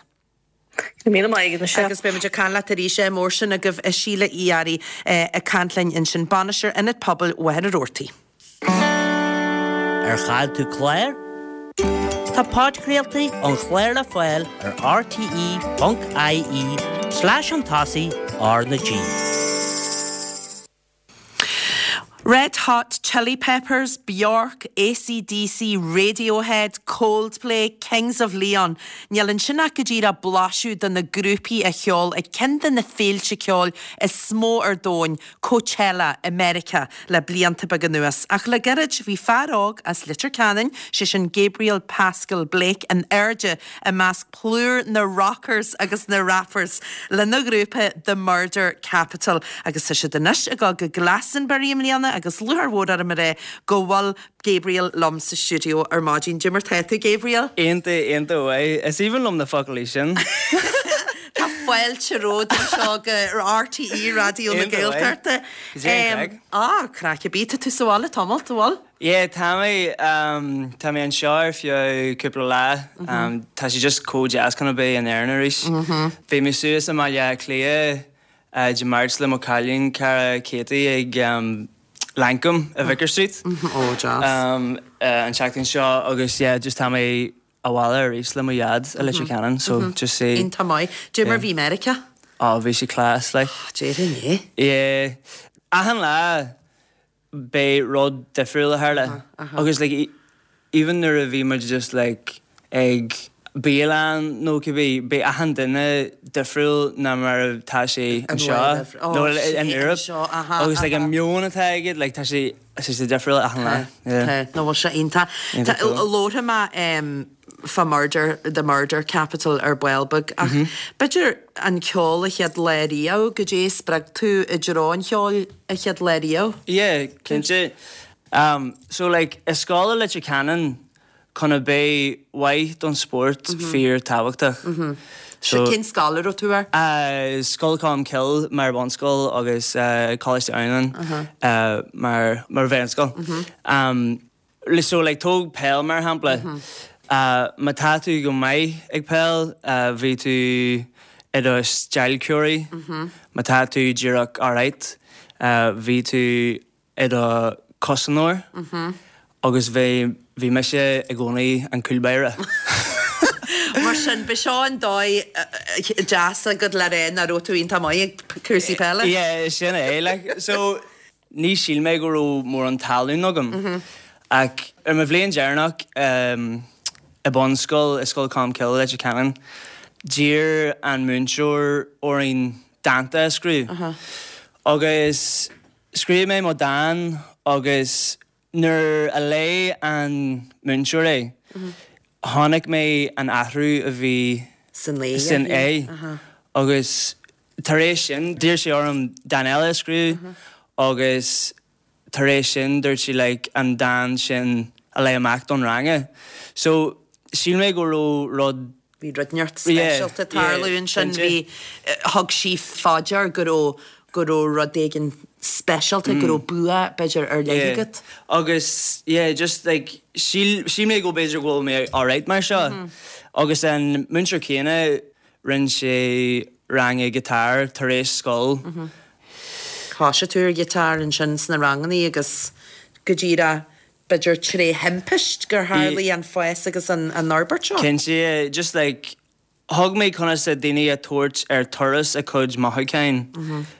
Go raibh míle maith agat, Michelle. Agus beidh muid ag caint leat arís ádh mór sin agaibh a Shíle Uí Fhearraigh ag caint linn ansin, Bainisteoir Ionad Pobail Mhachaire Rabhartaigh. Ar chaill tú clár? Tá podchraoltaí an chláir le fáil ar rte.ie slash chun tosaigh R na G. Red Hot Chili Peppers, Bjork, AC/DC, Radiohead, Coldplay, Kings of Leon. Níl ansin ach go díreach blaiseadh de na grúpaí a cheol ag ceann de na féilte ceoil is mó ar domhan, Coachella, i Meiriceá, le blianta beaga anuas. Ach le gairid, bhí fear óg as Leitir Ceanainn, sé sin Gabriel Pascal Blake, in airde i measc plúr na rockers agus na rappers lena ghrúpa The Murder Capital agus tá siad anois ag dul go Glastonbury i mbliana agus lúcháir mhór orm a rá go bhfuil Gabriel liom sa stiúideo ar maidin. Cad é mar tá tú, Gabriel? Iontach, iontach mhaith. Is aoibhinn liom na focailí sin. Tá fáilte romhat anseo go RTÉ Raidió na Iontach mhaith. Gaeltachta. Cad é an craic? Á, craic ar bith. Tá tú sa bhaile tamalt, an bhfuil? Yeah, tá mé, tá mé anseo ar feadh cúpla lá. Tá sé just chomh deas chun a bheith in Éirinn arís. Bhí mé suas i mBaile Átha Cliath Dé Máirt le mo cailín cara Katie ag Lankum i Vicar Street Ó, deas. an tseachtain seo agus yeah, just tá mé abhaile arís le mo dhaid i Leitir Ceanainn so just see. Iontach maith. Cad é mar bhí Meiriceá? Ó, bhí sé class, like. Déarfainn é. Yeah. Achan lá beidh rud difriúil a tharla agus like even nuair a bhí muid just like ag bialann nó cibé beidh achan duine difriúil ná mar atá sé anseo nó in Europe agus like an meon atá aige like tá sé tá sé difriúil achan lá. Tá, nó bhfuil sé iontach. Iontach cool. Labharfaidh mé fá Murder, The Murder Capital ar ball beag ach b'fhéidir an ceol a chéad lá riamh, goidé a spreag tú i dtreo an cheoil a chéad lá riamh? Yeah, cinnte. So like, i scoil i Leitir Ceanainn, chun a bheith maith don spórt fíor tábhachtach. So cén scoil a raibh tú air? Scoil Cholmcille mar bhunscoil agus Coláiste Adhamhnáin mar mar mheánscoil. So like tóg peil mar shampla. Má tá tú go maith ag peil bhí tú i do stailceoirí. Má tá tú díreach alright bhí tú i do chosantóir agus bhí bhí mise i gcónaí an cúl báire. Mar sin, ba seo an dóigh deas agat le rá nach raibh tú iontach maith ag cúrsaí peile. Yeah, sin é. Like, so, ní shíl mé go raibh mórán talún agam. Ach ar mo bhliain deireanach i bunscoil, i Scoil Cholmcille, Leitir Ceanainn, d'iarr an múinteoir orainn dánta a scríobh. Agus Scríobh mé mo dán agus nuair a léigh an múinteoir é, chonaic mé an athrú a bhí san é agus tar éis sin d'iarr sé orm dán eile a scríobh agus tar éis sin dúirt sé like an dán sin a léigh amach don ranga. So shíl mé go raibh rud Bhí rud inteacht speisialta ag tarlú ansin. Bhí, thug sí fá dear go raibh, go raibh rud éigin speisialta, go raibh bua b'fhéidir ar leith agat. Agus yeah just like shíl, shíl mé go b'fhéidir go bhfuil mé alright mar seo. Agus an múinteoir céanna rinne sé ranga guitar tar éis scoil. Thosaigh tú ar ghiotár ansin sna rangannaí agus go díreach b'fhéidir tré thimpist gur tharlaigh an fás agus an fhorbairt seo. Cinnte, just like thug mé conas a daoine a tabhairt ar turas a cuid mothúcháin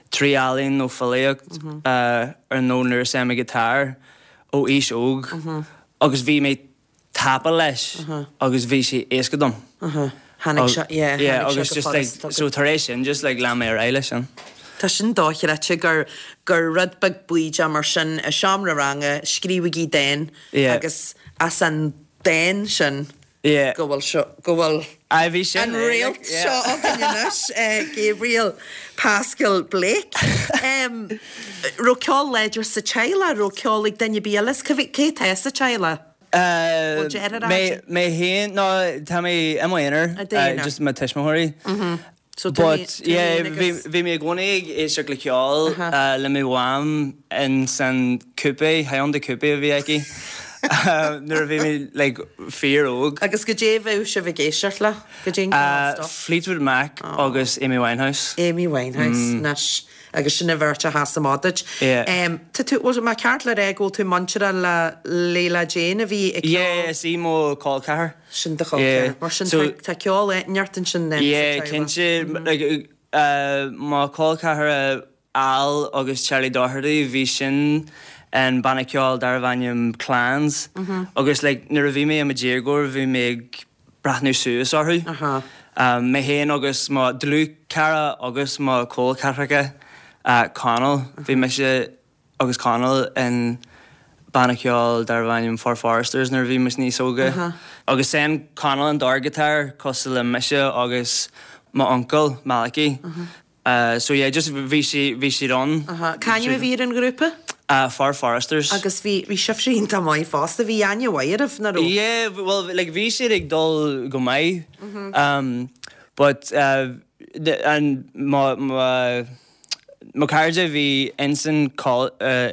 trí ealaín nó filíocht ar nó nuair a seinm guitar ó aois óg agus bhí mé tapa leis agus bhí sé éasca dom. Tháinig sé, yeah, tháinig sé go furasta. So tar éis sin just like lean mé ar aghaidh leis sin. Tá sin dochreidte gur, gur rud beag baoideach mar sin i seomra ranga, scríobhaigí dán agus as an dán sin go bhfuil seo, go bhfuil an réalt seo againn anois, Gabriel Pascal Blake. Raibh ceol láidir sa teaghlach, raibh ceol ag duine ar bith eile? Cé atá sa teaghlach? Bhfuil deartháir agat? Mé féin, no, tá mé i m'aonar, just mo tuismitheoirí. So tú But yeah, bhí bhí mé i gcónaí ag éisteacht le ceol le mo mham in san coupe, Hyundai coupe a bhí aici nuair a bhí mé like fíor óg. Agus goidé a bheadh sibh ag éisteacht le? Goidé an ceol stuff? Fleetwood Mac agus Amy Winehouse. Amy Winehouse, anois. Agus sin an bheirt a sheas amach duit. Yeah. Tá tú, bhfuil mé ceart le rá go bhfuil tú muinteartha le Leila Jane a bhí ag ceol? Yeah, is í mo col ceathar. Sin do chol ceathar. Mar sin tá ceol neart ansin then sa Yeah, teaghlach. cinnte. Like, mo col ceathar Al agus Charlie Doherty, bhí sin in banna ceoil darbh ainm Clans. Agus like nuair a bhí mé i mo dhéagóir bhí mé ag breathnú suas orthu. Mé féin agus mo dlúthchara agus mo chol ceathracha, Conall, bhí mise agus Conall in banna ceoil darbh ainm Four Foresters nuair a bhí muid níos óga. Agus sheinn Conall an dordghiotár cosúil le mise agus m'uncail, Malachy. So yeah, just bhí sí, bhí siad ann. C'ainm a bhí ar an ghrúpa? Four Foresters. Agus bhí, bhí sibhse iontach maith fosta, bhí aithne mhaith oraibh, nach raibh? Yeah, well like bhí siad ag dul go maith but an mo, mo, mo chairde a bhí insan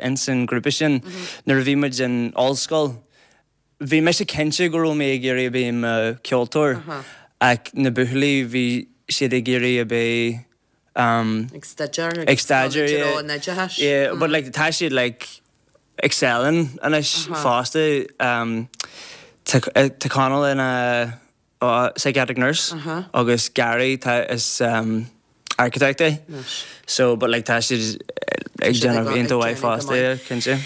insan grúpa sin nuair a bhí muid in ollscoil, Bhí mise cinnte go raibh mé ag iarraidh a bheith i mo cheoltóir ach na buachaillí bhí siad ag iarraidh a bheith Ag staidéar ag staidéar yeah an oideachais. Yeah but like tá siad like excelling anois fosta tá Conall ina psychiatric nurse agus Gary tá is architect é so but like tá siad ag déanamh iontach mhaith fosta yeah cinnte.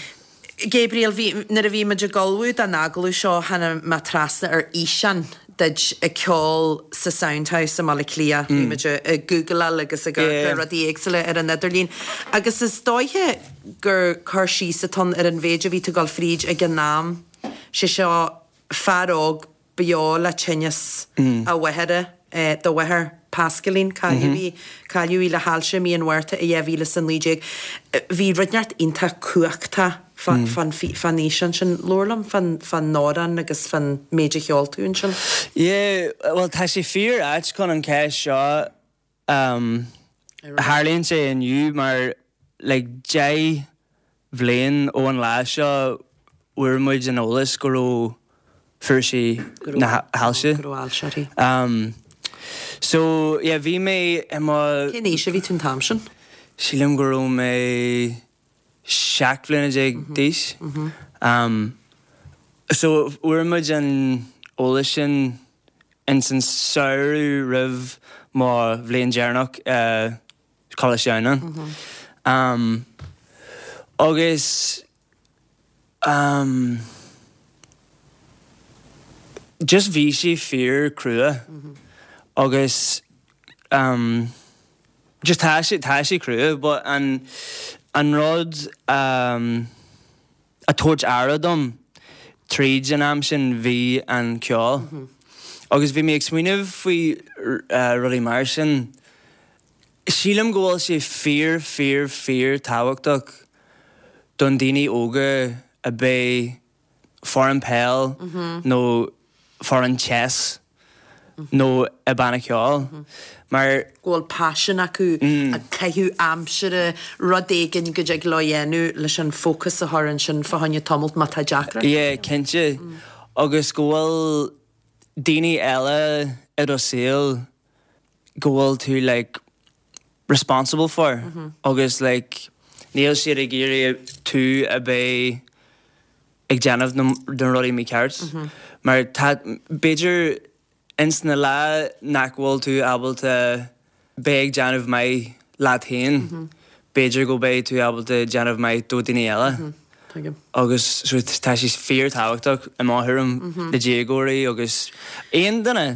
Gabriel, bhí, nuair a bhí muid ag ullmhú don agallamh seo tháinig mé trasna ar fhíseán duit ag ceol sa Soundhouse i mBaile Átha Cliath, bhí muid ag googleáil agus ag amharc ar rudaí éagsúla ar an idirlíon agus is dóiche gur cur síos atá ann ar an mhéid a bhí tú ag dul fríd ag an am, sé seo fear óg beo le tinneas a mháthara, do mháthair. Pascaline, cailleadh í, cailleadh í le hailse i mí an Mhárta i 2019. Bhí rud inteacht iontach cumhachtach fán fán fhíseán sin. Labhair liom fán fán amhrán agus fán méid a cheol tú ansin. Yeah, bhuel tá sé fíor ait chun an cheist seo Tharlaíonn sé inniu mar like 10 bhliain ó an lá seo fuair muid an eolas go raibh fuair sí na hailse. Go raibh ailse uirthi. So yeah bhí mé i mo. Cén aois a bhí tú an t-am sin? Sílim go raibh mé 17 bhliana d'aois. So fuair muid an eolas sin ins an samhradh roimh mo bhliain deireanach i Coláiste Adhamhnáin. Agus just bhí sé fíor crua agus just tá sé tá sé crua but an an rud a tabhairt aire dom tríd an am sin bhí an ceol. Agus bhí mé ag smaoineamh faoi rudaí mar sin. Sílim go bhfuil sé fíor fíor fíor tábhachtach don daoine óga a beith foireann peil nó foireann chess nó i banna ceoil mar. go bhfuil paisean acu ag caitheamh aimsire, rud éigin go dtig leo a dhéanamh leis an fócas a chur ansin fá choinne tamalt má tá deacracht. Yeah, cinnte. Agus go bhfuil daoine eile i do saol go bhfuil tú like responsible for agus like níl siad ag iarraidh tú a bheith ag déanamh na rudaí mícheart mar tá b'fhéidir ins na lá nach bhfuil tú ábalta bheith ag déanamh maith leat féin b'fhéidir go beidh tú ábalta déanamh maith do daoine eile agus so tá sé fíor tábhachtach i mo thuairim le déagóirí agus aon duine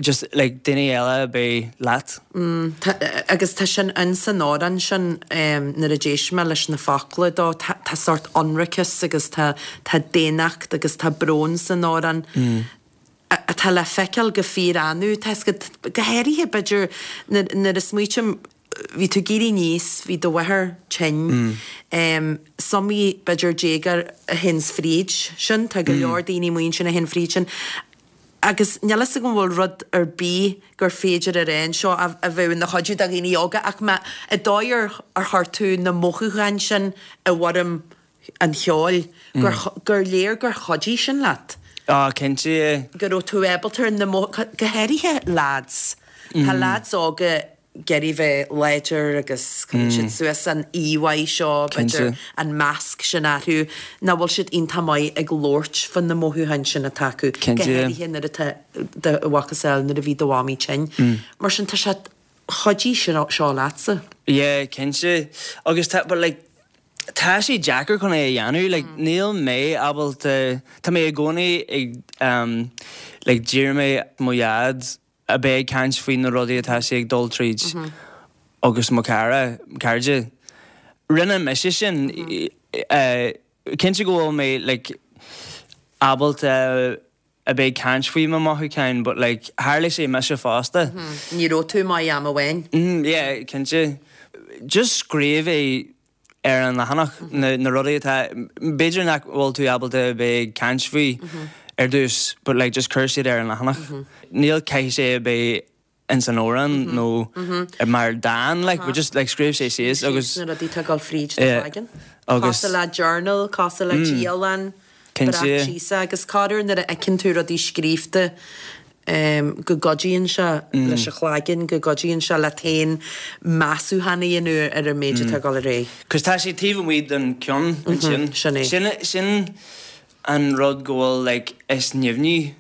just like daoine eile a bheith leat. Mm, tá, agus tá sin in san amhrán sin nuair a d'éist mé leis na focla dó, tá, tá sórt ionraiceas agus tá, tá daonnacht agus tá brón san amhrán atá le feiceáil go fíor-annamh, tá 'fhios agat, go háirithe b'fhéidir nuair, nuair a smaoitím, bhí tú ag éirí aníos, bhí do mháthair tinn, is iomaí b'fhéidir déagóir a théanns fríd sin, tá go leor daoine amuigh ansin a théann fríd sin, Agus níl fhios agam an bhfuil rud ar bith gur féidir a rá anseo a bheadh ina chuidiú do dhaoine óga ach má, an dóigh ar ar chuir tú na mothúcháin sin i bhfoirm an cheoil, gur gur léir gur chuidigh sin leat. Á, cinnte, yeah. Go raibh tú ábalta ar na mothúcháin, go háirithe lads. Tá lads óga ag iarraidh bheith láidir agus cuireann siad suas an íomhá seo, b'fhéidir an masc sin orthu, nach bhfuil siad iontach maith ag labhairt fá na mothúcháin sin atá acu, go háirithe nuair atá do mhacasamhail nuair a bhí do mhamaí tinn. Mar sin tá sé, chuidigh seo leatsa. Yeah, cinnte. Agus tá, but like, tá sé deacair chun é a dhéanamh, like, níl mé ábalta, tá mé i gcónaí ag, um, like, d'iarr mé mo dhaid a bheith ag caint faoi na rudaí atá sé ag dul tríd agus mo chara, cairde. Rinne mise sin. Cinnte go bhfuil mé like ábalta a bheith ag caint faoi mo mhothúcháin but like tharla sé mise fosta. Ní raibh tú maith am amháin. Yeah, cinnte. Just scríobh é ar an leathanach, na rudaí atá, b'fhéidir nach bhfuil tú ábalta a bheith ag caint faoi ar dtús but like just cuir siad ar an leathanach. Níl caithfidh sé a bheith ins an amhrán nó mar dán like but just like scríobh sé síos agus na rudaí atá ag dul fríd do chloigeann. Cosúil le journal, cosúil le dialann, breac síos é agus corruair nuair a fheiceann tú rudaí scríobhta go gcuidíonn sé leis an chloigeann, go gcuidíonn sé leat féin measúchán a dhéanamh ar an méid atá ag dul ar aghaidh. Cos tá sé taobh amuigh den ceann ansin. Sin é. Sin, sin an rud go bhfuil like is nimhní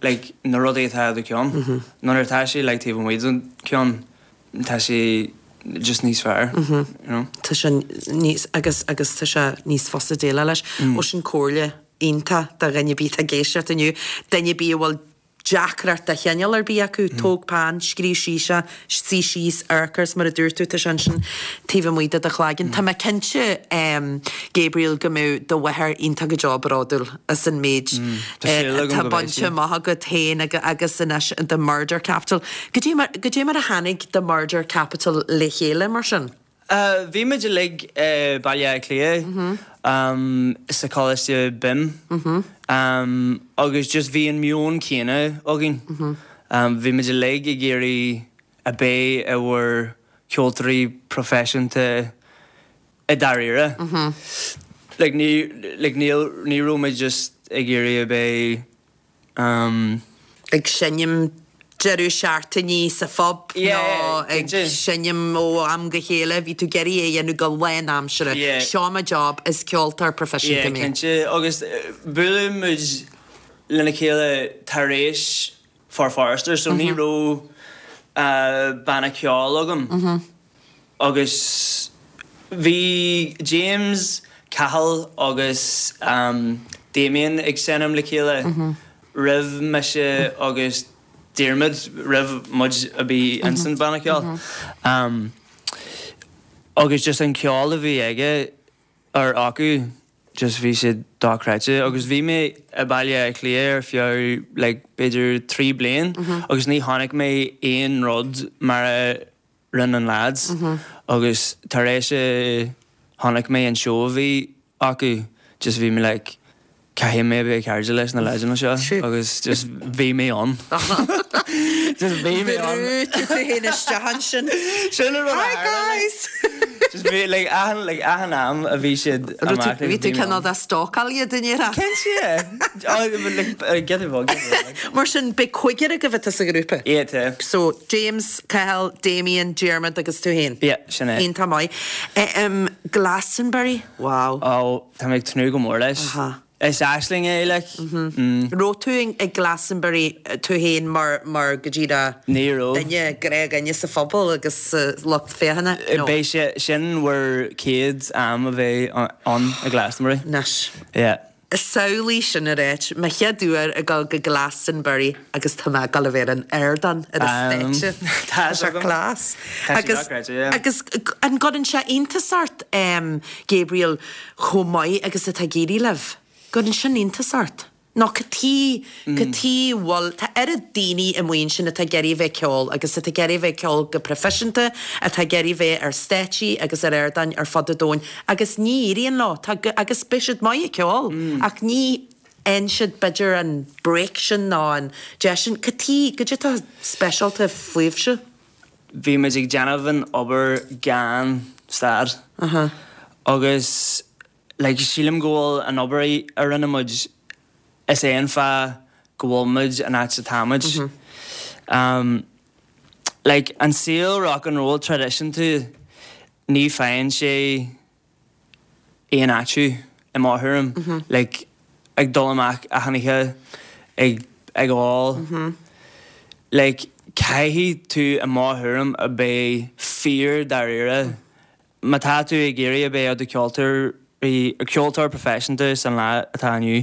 like na rudaí atá i do cheann. Nuair atá sé like taobh amuigh den ceann tá sé just níos fearr, you know. Tá sé níos, agus, agus tá sé níos fusa déileáil leis. Ó sin comhairle iontach do dhuine ar bith atá ag éisteacht inniu, duine ar bith a bhfuil. deacracht de chineál ar bith acu. Tóg peann, scríobh síos é, suigh síos, amharc air is mar a dúirt tú, tá sé ansin taobh amuigh de do chlaigeann. Tá mé cinnte, Gabriel, go mbeadh do mháthair iontach go deo bródúil as an méid atá bainte amach agat féin agus anois The Murder Capital. Goidé mar, goidé mar a tháinig The Murder Capital le chéile mar sin? Bhí muid uilig i Baile Átha Cliath sa choláiste BIMM agus just bhí an meon céanna againn. Bhí muid uilig ag iarraidh a bheith i bhur ceoltóirí proifisiúnta i dáiríre. Like ní like níl ní raibh muid just ag iarraidh a bheith ag seinm deireadh seachtainí sa phub nó ag seinm ó am go chéile, bhí tú ag iarraidh é a dhéanamh go lánaimseartha. Seo mo job, is ceoltóir proifisiúnta mé. Yeah, cinnte. Agus buaileadh muid lena chéile tar éis For Forester, so ní raibh banna ceoil agam. Agus bhí James, Cathal agus Damien ag seinm le chéile roimh mise agus Diarmuid, roimh muid a bheith insan banna ceoil. Agus just an ceol a bhí aige or acu just bhí sé dochreidte. Agus bhí mé i Baile Átha Cliath ar feadh like b'fhéidir 3 bliain agus ní chonaic mé aon rud mar a rinne an lads agus tar éis a chonaic mé an seó a bhí acu just bhí mé like caithfidh mé a bheith cairde leis na leaideanna seo agus just bhí mé ann. Just bhí mé ann. Bhrú tú tú féin isteach ansin. Sin an rud a Hi guys! Just bhí like achan like achan am a bhí siad amach like bhí tú cineál de stalkáil iad i ndáiríre. Cinnte! Oh like get involved get involved. Mar sin beidh cúigear agaibh atá sa ghrúpa? Yeah tá. So James, Cathal, Damien, Diarmuid agus tú féin? Yeah sin é. Iontach maith. Em Glastonbury, wow. Oh tá mé ag tnúth go mór leis. Aha. Is aisling é like. An raibh tú ag Glastonbury tú féin mar mar go díreach Ní raibh. duine gnáthdhuine sa phobal agus sa lucht féachana? No. Beidh sé sin bhur chéad am a bheith ann i Glastonbury. Anois. Yeah. Samhlaigh sin a ráit, mo chéad uair ag dul go Glastonbury agus tá mé ag dul a bheith ar an ardán, ar an stáitse. Tá Tá sé class. Tá sé Agus dochreidte, yeah. agus an gcuireann sé iontas ort, Gabriel, chomh maith agus atá ag éirí libh? Gcuireann sin iontas ort? Nó cad chuige, cad chuige a bhfuil, tá oiread daoine amuigh ansin atá ag iarraidh a bheith ag ceol agus atá ag iarraidh a bheith ag ceol go proifisiúnta, atá ag iarraidh a bheith ar stáitsí agus ar ardáin ar fud an domhain agus ní éiríonn leo, tá, agus beidh siad maith ag ceol ach ní fhaigheann siad b'fhéidir an break sin nó an deis sin. Cad chuige, cad é atá speisialta fúibhse? Bhí muid ag déanamh an obair gan stad agus like sílim go bhfuil an obair a rinne muid, is é an fáth go bhfuil muid an áit atá muid. Like an saol rock and roll traidisiúnta ní faigheann sé aon áit thú i mo thuairim. Like ag dul amach achan oíche ag ag ól. Like caithfidh tú i mo thuairim a bheith fíor dáiríre Má tá tú ag iarraidh a bheith i do cheoltóir, ceoltóir proifisiúnta san lá atá inniu.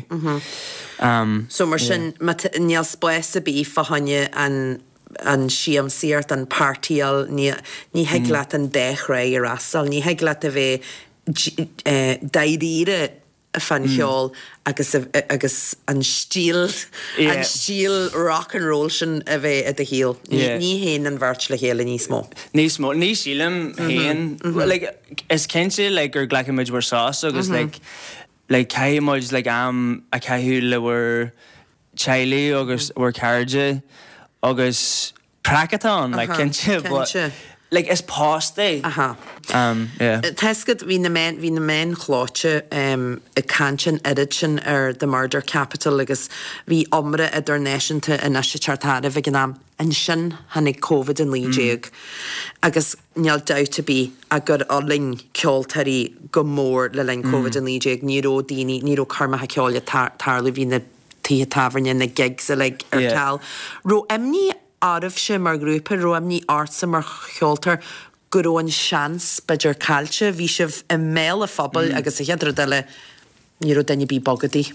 So mar sin, má tá, níl spás ar bith fá choinne an, an siamsaíocht, an partyáil, ní, ní thig leat an dá thrá a fhreastal, ní thig leat a bheith dáiríre fán cheol agus agus an stíl, an stíl rock and roll sin a bheith i do shaol. Ní théann an bheirt le chéile níos mó. Níos mó. Ní sílim féin. Like, is cinnte like gur glacfaidh muid bhur sos agus like like caithfidh muid like am a chaitheamh le bhur teaghlaigh agus bhur cairde agus Craic atá ann, like, cinnte, but like is post é. Aha. Yeah. Tá 'fhios agat, bhí na meáin, bhí na meáin chlóite ag caint an oiread sin ar The Murder Capital agus bhí iomrá idirnáisiúnta anois ag teacht tharaibh ag an am. Ansin tháinig Covid-19 agus níl dabht ar bith ach gur fhulaing ceoltóirí go mór le linn Covid-19. Ní raibh daoine, ní raibh coirmeacha ceoil ag tarlú, bhí na tithe tábhairne, na gigs uilig ar ceal. Raibh imní oraibhse mar ghrúpa, raibh imní ortsa mar cheoltóir go raibh an seans, b'fhéidir, caillte? Bhí sibh i mbéal an phobail agus an chéad rud eile, ní raibh duine ar bith bogadaí.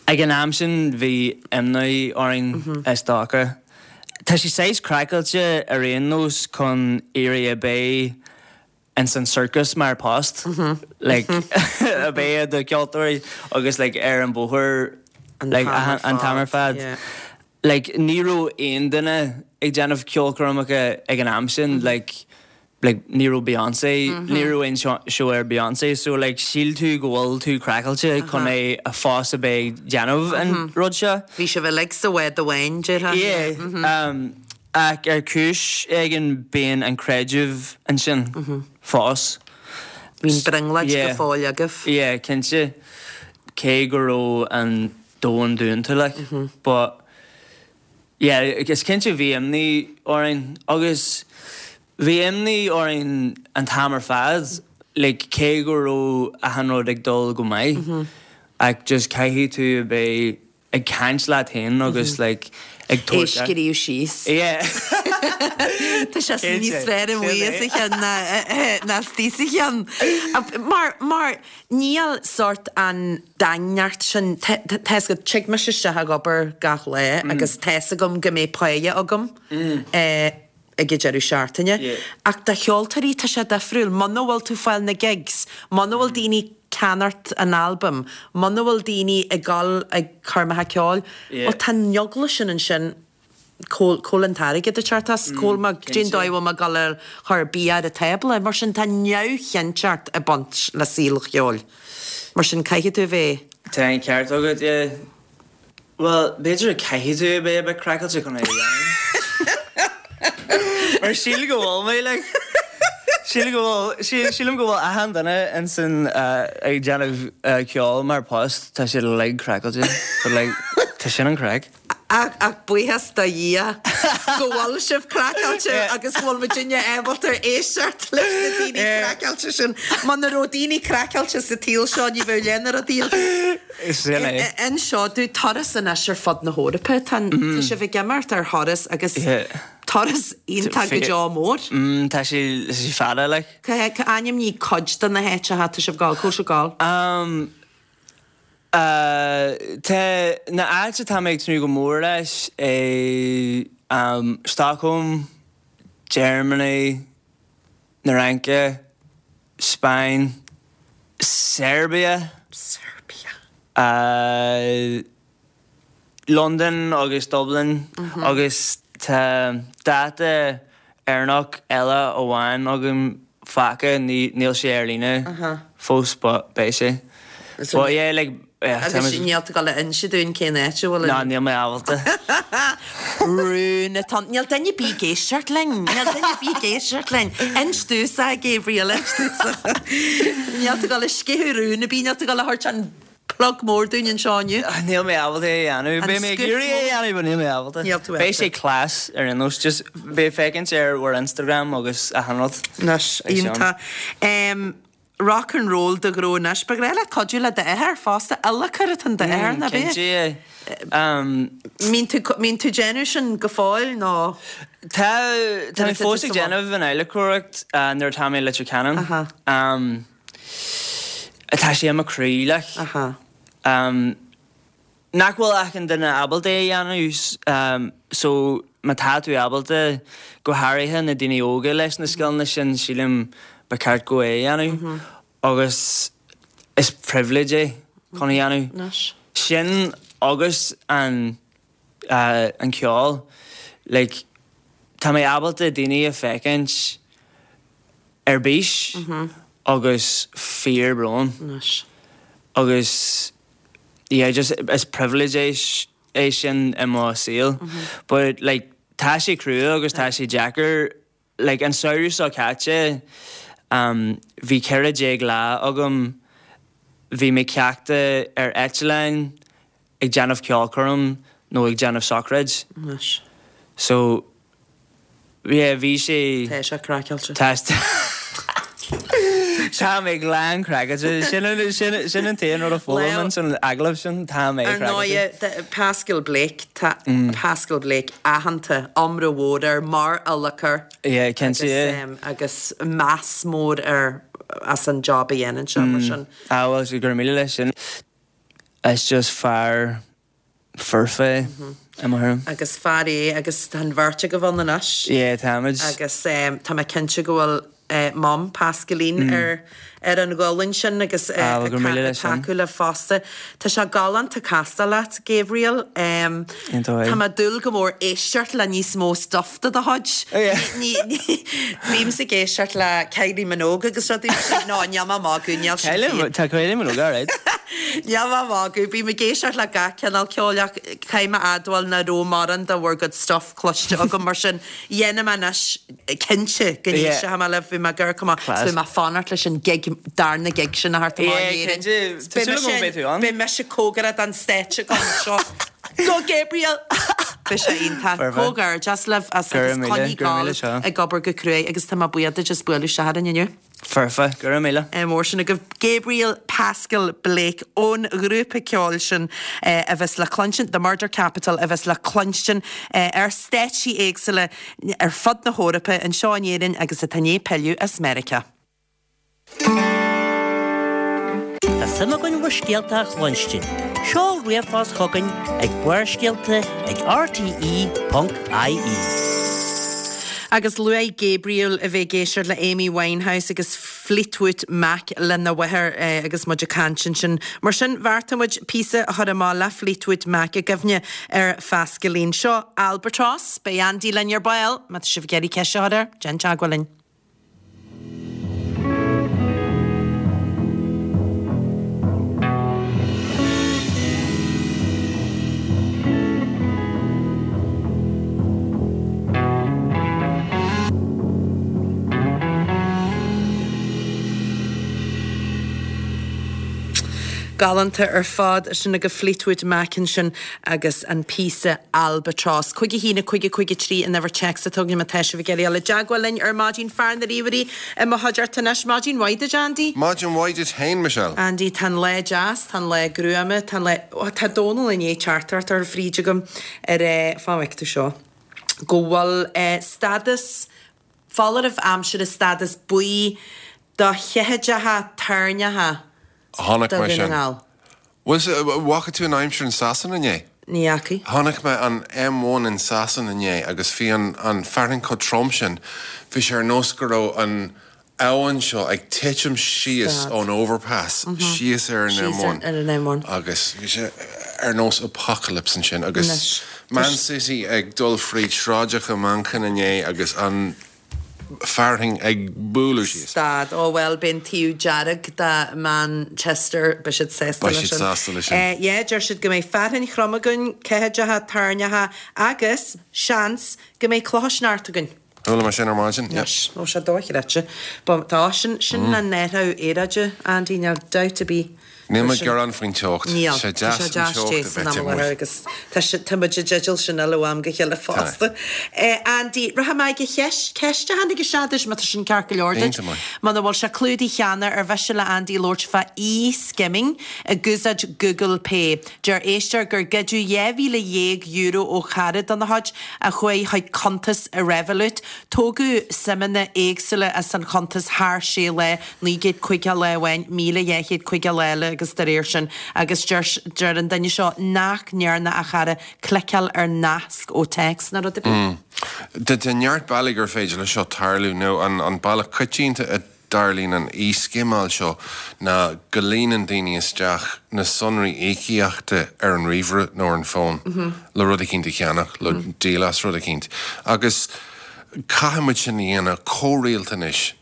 Ag an am sin bhí imní orainn is dócha. Tá sé saghas craiceáilte ar aon nós chun iarraidh a bheith ins an circus mar post, like a bheith i do cheoltóirí agus like ar an bhóthar like an t-am ar fad. Like ní raibh aon duine ag déanamh ceolchoirmeacha ag an am sin like like ní raibh Beyonce, ní raibh aon seó ar Beyonce so like shíl tú go bhfuil tú craiceáilte chun é a fós a bheith ag déanamh an rud seo. Bhí sibh uilig sa bhád amháin, déarfá. Yeah, ach ar chúis éigin bíonn an creideamh ansin fós. Bhí an brionglóid go fóill agaibh. Yeah, cinnte. Cé go raibh an domhan dúnta like but yeah is cinnte bhí imní orainn agus bhí imní orainn an t-am ar fad like cé go raibh achan rud ag dul go maith ach just caithfidh tú a bheith ag caint leat féin agus like ag tabhairt É scríobh síos. Yeah. Tá sé níos fearr amuigh as a cheann ná istigh sa cheann. Mar, mar níl sórt an daingneacht sin, tá 'fhios agat, tig mise isteach ag obair gach lá agus tá 'fhios agam go mbeidh páighe agam ag an deireadh seachtaine. Ach do cheoltóirí tá sé difriúil, muna bhfuil tú fáil na gigs, muna bhfuil daoine ag ceannacht an albaim, muna bhfuil daoine ag dul ag coirmeacha ceoil, bhuel tá an eagla sin ansin cá bhfuil an t-airgead ag teacht as, cá bhfuil mé, cén dóigh a bhfuil mé ag dul a chur bia ar an tábla. Mar sin tá neamhchinnteacht ag baint le saol an cheoil. Mar sin caithfidh tú a bheith. Tá an ceart agat, yeah. Bhuel, b'fhéidir caithfidh tú a bheith a bit craiceáilte chun é a dhéanamh. Mar sílim go bhfuil mé, like. Sílim go bhfuil, sílim go bhfuil achan duine insan ag déanamh ceoil mar post, tá siad uilig craiceáilte. But like, tá sin an craic. Ach buíochas do Dhia go bhfuil sibh craiceáilte agus go bhfuil muidinne ábalta éisteacht leis na daoine craiceáilte sin. Muna raibh daoine craiceáilte sa tsaol seo ní bheadh leath na rudaí againn. Sin é. Inis dúinn turas anois ar fud na hEorpa. Tá sibh ag imeacht ar thuras agus turas iontach go deo mór. Tá sé fada like. Ainmnigh cuid de na háiteacha atá sibh ag dul, cá bhfuil sibh ag dul? Tá na áit atá mé ag tnúth go mór leis é Stockholm, Germany, na Fhraince, Spáinn, Serbia, Serbia. Londain agus Dublin agus tá dáta Éireannach eile amháin agam fágtha, níl sé ar líne fós but beidh sé. But yeah like yeah tá Agus níl tú ag dul a inse dúinn cén áit a bhfuil an. Ná níl mé ábalta. Rún atá ann. Níl duine ar bith ag éisteacht linn. Níl duine ar bith ag éisteacht linn. Inis domhsa, a Gabriel, inis domhsa. Níl tú ag dul a sceitheadh rún ar bith, níl tú ag dul a thabhairt an plug mór dúinn anseo inniu. Níl mé ábalta é a dhéanamh. Beidh mé ag iarraidh é a dhéanamh but níl mé ábalta. Níl tú ábalta. Beidh sé class ar aon nós. Just beidh féachaint ar bhur Instagram agus achan rud. Anois, iontach. Rock and roll do ghnó anois. Ba ghnách leat cuidiú le d'athair fosta. Adhlacóir atá in d'athair, nach ea? Cinnte. Mbíonn tú, mbíonn tú déanamh sin go fóill nó? Tá, tá mé fós ag déanamh an adhlacóireacht nuair atá mé i Leitir Ceanainn. Tá sé i mo chroí, like. Nach bhfuil achan duine ábalta é a dhéanamh so má tá tú ábalta, go háirithe na daoine óga leis na scileanna sin, sílim ba cheart go é a dhéanamh agus is privilege é chun a dhéanamh. Sin agus an an ceol like tá mé ábalta daoine a féachaint ar bís agus fíor brón agus yeah just is privilege é é sin i mo saol but like tá sé crua agus tá sé deacair like an samhradh seo caite bhí 14 lá agam bhí mé ceaptha ar eitleáin ag déanamh ceolchoirm nó ag déanamh sochraid so yeah bhí sé Tá sé craiceáilte. Tá Tá mé glan craiceáilte. Sin an sin sin an t-aon rud a foghlaim san agallamh sin, tá mé Ar craiceáilte. ndóigh, Pascal Blake, tá Pascal Blake aitheanta, iomrá mhór air mar adhlacóir Yeah, cinnte, yeah. agus meas mór air as an job a dhéanann sé, mar sin. Ah bhuel, go raibh míle leis sin. Is just fear foirfe é, i mo thuairim. Agus fear é agus tá an bheirt agaibh ann anois. Yeah, táimid. Agus tá mé cinnte go bhfuil Mom, Pascaline, ar ar an ghualainn sin agus ag tacú libh fosta. Tá sé galánta castáil leat, Gabriel. Tá mé ag dúil go mór éisteacht le níos mó stuff de do chuid. Bímse ag éisteacht le Kylie Minogue agus rudaí mar sin. No, níl mé ag magadh, níl sin fíor. Tá Kylie Minogue alright. Níl mé ag magadh, bím ag éisteacht le gach cineál ceoil ach caithfidh mé a admháil nach raibh mórán de bhur gcuid stuff cloiste agam mar sin dhéanfaidh mé anois cinnte go n-éistfidh mé libh, bhí mé ag amharc amach, is beidh mé ag fanacht leis an gig, darna gig sin a theacht amach in Éirinn. Beidh mise cóngarach don stáitse agam seo. Go Gabriel! Beidh sé iontach. Comhghairdeas libh as agus coinnigh ag gabháil ag obair go cruaidh agus tá mé buíoch duit as bualadh isteach orainn inniu. Foirfe, go raibh míle. Mór sin agaibh. Gabriel Pascal Blake ón ghrúpa ceoil sin a bheas le cluinstin, The Murder Capital, a bheas le cluinstin ar stáitsí éagsúla ar fud na hEorpa, anseo in Éirinn agus atá i ndiaidh pilleadh as Meiriceá. Tá suim againn bhur scéalta a chluinstin. Seol ríomhphost chugainn ag barrscéalta ag rte.ie. Agus luaigh Gabriel a bheith ag éisteacht le Amy Winehouse agus Fleetwood Mac lena mháthair agus muid ag caint ansin. Mar sin, bheartaigh muid píosa a chur amach le Fleetwood Mac i gcuimhne ar Phascaline. Seo Albatross. Beidh Andy linn ar ball. Má tá sibh ag iarraidh ceist a chur air, déan teagmháil linn. Galánta ar fad. Sin agaibh Fleetwood Mac ansin agus an píosa Albatross. 5 1 5 5 3 an uimhir téacs atá againn má tá sibh ag iarraidh dul i dteagmháil linn ar maidin. Fear na ríomhairí i mo chuideachta anois. Maidin mhaith duit, Andy. Maidin mhaith duit féin, Michelle. Andy, tá an lá deas, tá an lá gruama, tá an lá, ó tá Dónal i ndiaidh teachtaireacht a chur fríd agam ar eh, fán bhfeic tú seo, go bhfuil eh stádas foláireamh aimsire stádas buí do cheathaideacha toirneacha Chonaic do mé Dhún na sin. nGall. Bhuel, bhfaca tú an aimsir in Sasana inné? Ní fhacaidh. Chonaic mé an M1 in Sasana inné agus bhí an an fearthainn chomh trom sin, bhí sé ar nós go raibh an abhainn seo ag titim síos Stad. ón overpass síos ar an Síos M1 ar an M1. agus bhí sé ar nós apocalypse ansin agus Anois. Man City ag dul fríd sráideacha Manchain inné agus an fearthainn ag bualadh síos. Stad. Ó bhuel, beidh an taobh dearg de Manchester, beidh siad sásta Beidh leis siad sin. sásta leis sin. Yeah, deir siad go mbeidh fearthainn throm againn, ceathaideacha toirneacha agus, seans, go mbeidh clocha sneachta againn. Chuala mé sin ar maidin, yeah. Anois, ó sé dochreidte. But tá, sin, sin an athrú aeráide, Andy, níl dabht ar bith. Níl mé ag gearán faoin teocht. Níl. Sé Tá deas sé an deas teocht te a san bheith am amuigh. láthair agus tá sé, tá muid i dteideal sin eile ó am go chéile Tá. fosta. Andy, rachaidh mé ag an cheist, ceist a tháinig isteach duit, má tá sin ceart go leor duit. Iontach maith. Muna bhfuil sé clúdaithe cheana, ar mhiste le Andy labhairt fá e-skimming ag úsáid Google Pay. Deir éisteoir gur goideadh €12,000 ó chara dona chuid a chuaigh chuig cuntas i Revolut. Tógadh suimeanna éagsúla as an chuntas thar sé lá, 950 lá amháin, 1,250 lá eile agus dá réir sin. Agus deir deir an duine seo nach ndearna a chara cliceáil ar nasc ó téacs ná rud ar bith. Tá neart bealaí gur féidir leis seo tarlú, nó an bealach coitianta a dtarlaíonn an e-scimeáil seo ná go líonann daoine isteach na sonraí íocaíochta ar an ríomhaire nó ar an bhfón le rud eicínt a cheannach, le díol as rud eicínt. Agus caithfidh muid sin a dhéanamh chomh rialta anois,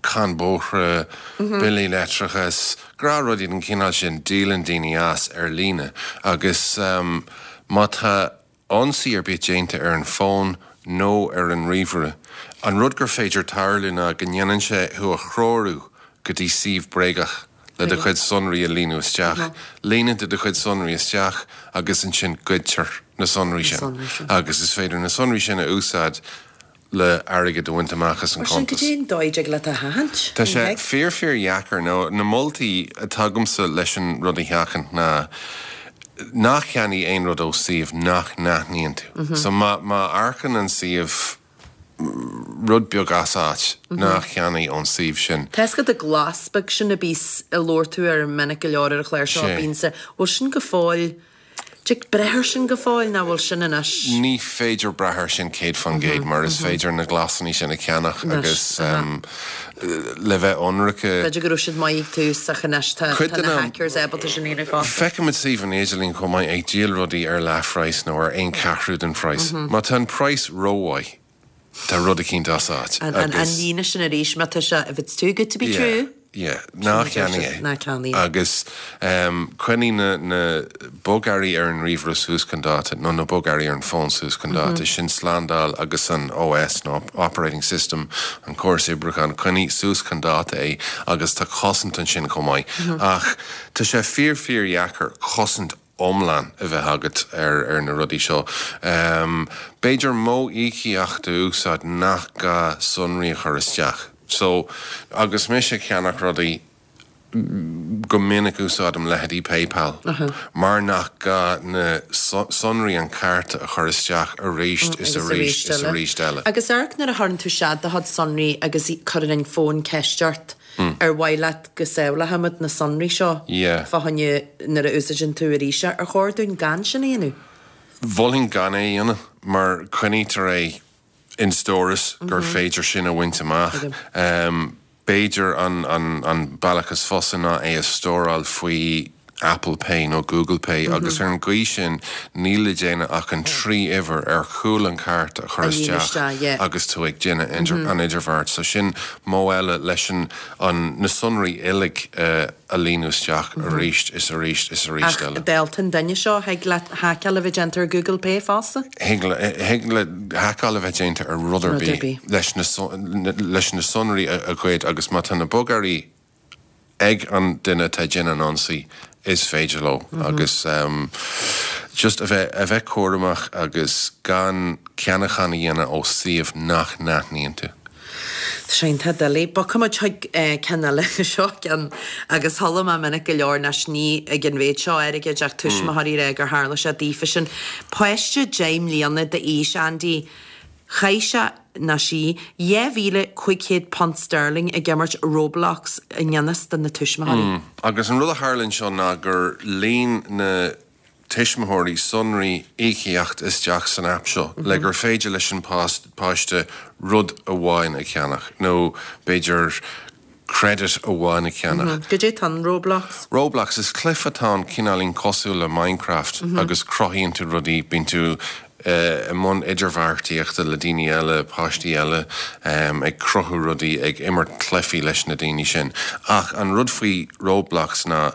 cáin bóithre, billí leictreachais, gnáthrudaí den chineál sin, díolann daoine as ar líne agus má tá ionsaí ar bith déanta ar an bhfón nó ar an ríomhaire, an rud gur féidir tarlú ná go ndéanann sé thú a threorú go dtí suíomh bréagach le do chuid sonraí a líonadh isteach. Líonann tú do chuid sonraí isteach agus ansin goidtear na sonraí sin agus is féidir na sonraí sin a úsáid le airgead a bhaint amach as an Mar sin, chuntas. cad é an dóigh a dtig leat a sheachaint? Tá sé fíor fíor dheacair. Nó na moltaí atá agamsa leis an rud a sheachaint ná ná ceannaigh aon rud ó suíomh nach n-aithníonn tú. So má má amharcann an suíomh. rud beag as áit, ná ceannaigh ón suíomh sin. Tá a fhios agat an glas beag sin a bíos a labhair tú air minic go leor ar an chlár seo, bíonn sa, bhfuil sin go fóill, dtig breith air sin go fóill ná bhfuil sin anois? Ní féidir brath air sin 100% mar is féidir na glasanna sin a cheannach agus le bheith ionraic. B'fhéidir go raibh siad maith ag tús ach anois tá na hackers ábalta sin a dhéanamh fosta. Feicimid suíomhanna idirlín chomh maith ag díol rudaí ar leathphraghas nó ar aon cheathrú den phraghas. Má tá an praghas rómhaith, tá rud eicínt as áit agus. An líne sin arís, má tá sé, if it's too good to be true. Yeah, ná ceannaigh é. Ná ceannaigh é. Agus coinnigh na na bogearraí ar an ríomhaire suas chun dáta, nó na bogearraí ar an bhfón suas chun dáta, sin slándáil agus an OS nó Operating System, an córas oibriúcháin, coinnigh suas chun dáta é agus tá cosaint ansin chomh maith. Ach tá sé fíor fíor dheacair cosaint iomlán a bheith agat ar na rudaí seo. B'fhéidir modh íocaíochta a úsáid nach gá sonraí a chur isteach. So, agus mise ag ceannach rudaí, go minic úsáidim leithéidí PayPal mar nach gá na sonraí an chárta a chur isteach arís is arís is arís eile. Agus amharc nuair a chuireann tú isteach do chuid sonraí agus cuireann an fón ceist ort Ar mhaith leat go sábhálfaimid na sonraí seo fá choinne nuair a úsáideann tú arís é? Ar chóir dúinn gan sin a dhéanamh? Mholfainn gan é a dhéanamh mar coinnítear é in stóras gur féidir sin a bhaint amach. B'fhéidir an bealach is fusa ná é a stóráil faoi Apple Pay nó Google Pay agus ar an gcaoi sin níl le déanamh ach an 3 uimhir ar chúl an chárta a chur isteach agus tú ag déanamh an idirbheart. So sin modh eile leis an na sonraí uilig a líonadh isteach arís is arís is arís Ach eile. dálta an duine seo, thig le haiceáil a bheith déanta ar Google Pay fosta? Thig le haiceáil a bheith déanta ar rud ar bith leis na sonraí a ghoid agus má tá na bogearraí ag an duine atá ag déanamh an ionsaí, is féidir leo agus just a bheith a bheith cúramach agus gan ceannachán a dhéanamh ó suíomh nach n-aithníonn tú. Tá sé iontach doiligh. Bogfaidh muid chuig ceann eile, seo ceann agus chuala mé minic go leor anois ní ag an mhéid seo airgid ach tuismitheoirí ag rá gur tharla sé daofasan. Páiste 10 mbliana d'aois, Andy, Chaith sé, nó sí, £2,500 sterling ag imirt Roblox i ngan fhios do na tuismitheoirí. Agus an rud a tharla anseo ná gur líon na tuismitheoirí sonraí íocaíochta isteach san aip seo le gur féidir leis an páiste rud amháin a cheannach nó b'fhéidir credit amháin a cheannach. Goidé tá in Roblox? Roblox, is cluiche atá ann cineáilín cosúil le Minecraft agus cruthaíonn tú rudaí, bíonn tú i mbun idirbheartaíochta le daoine eile, páistí eile, ag cruthú rudaí, ag imirt cluichí leis na daoine sin. Ach an rud faoi Roblox ná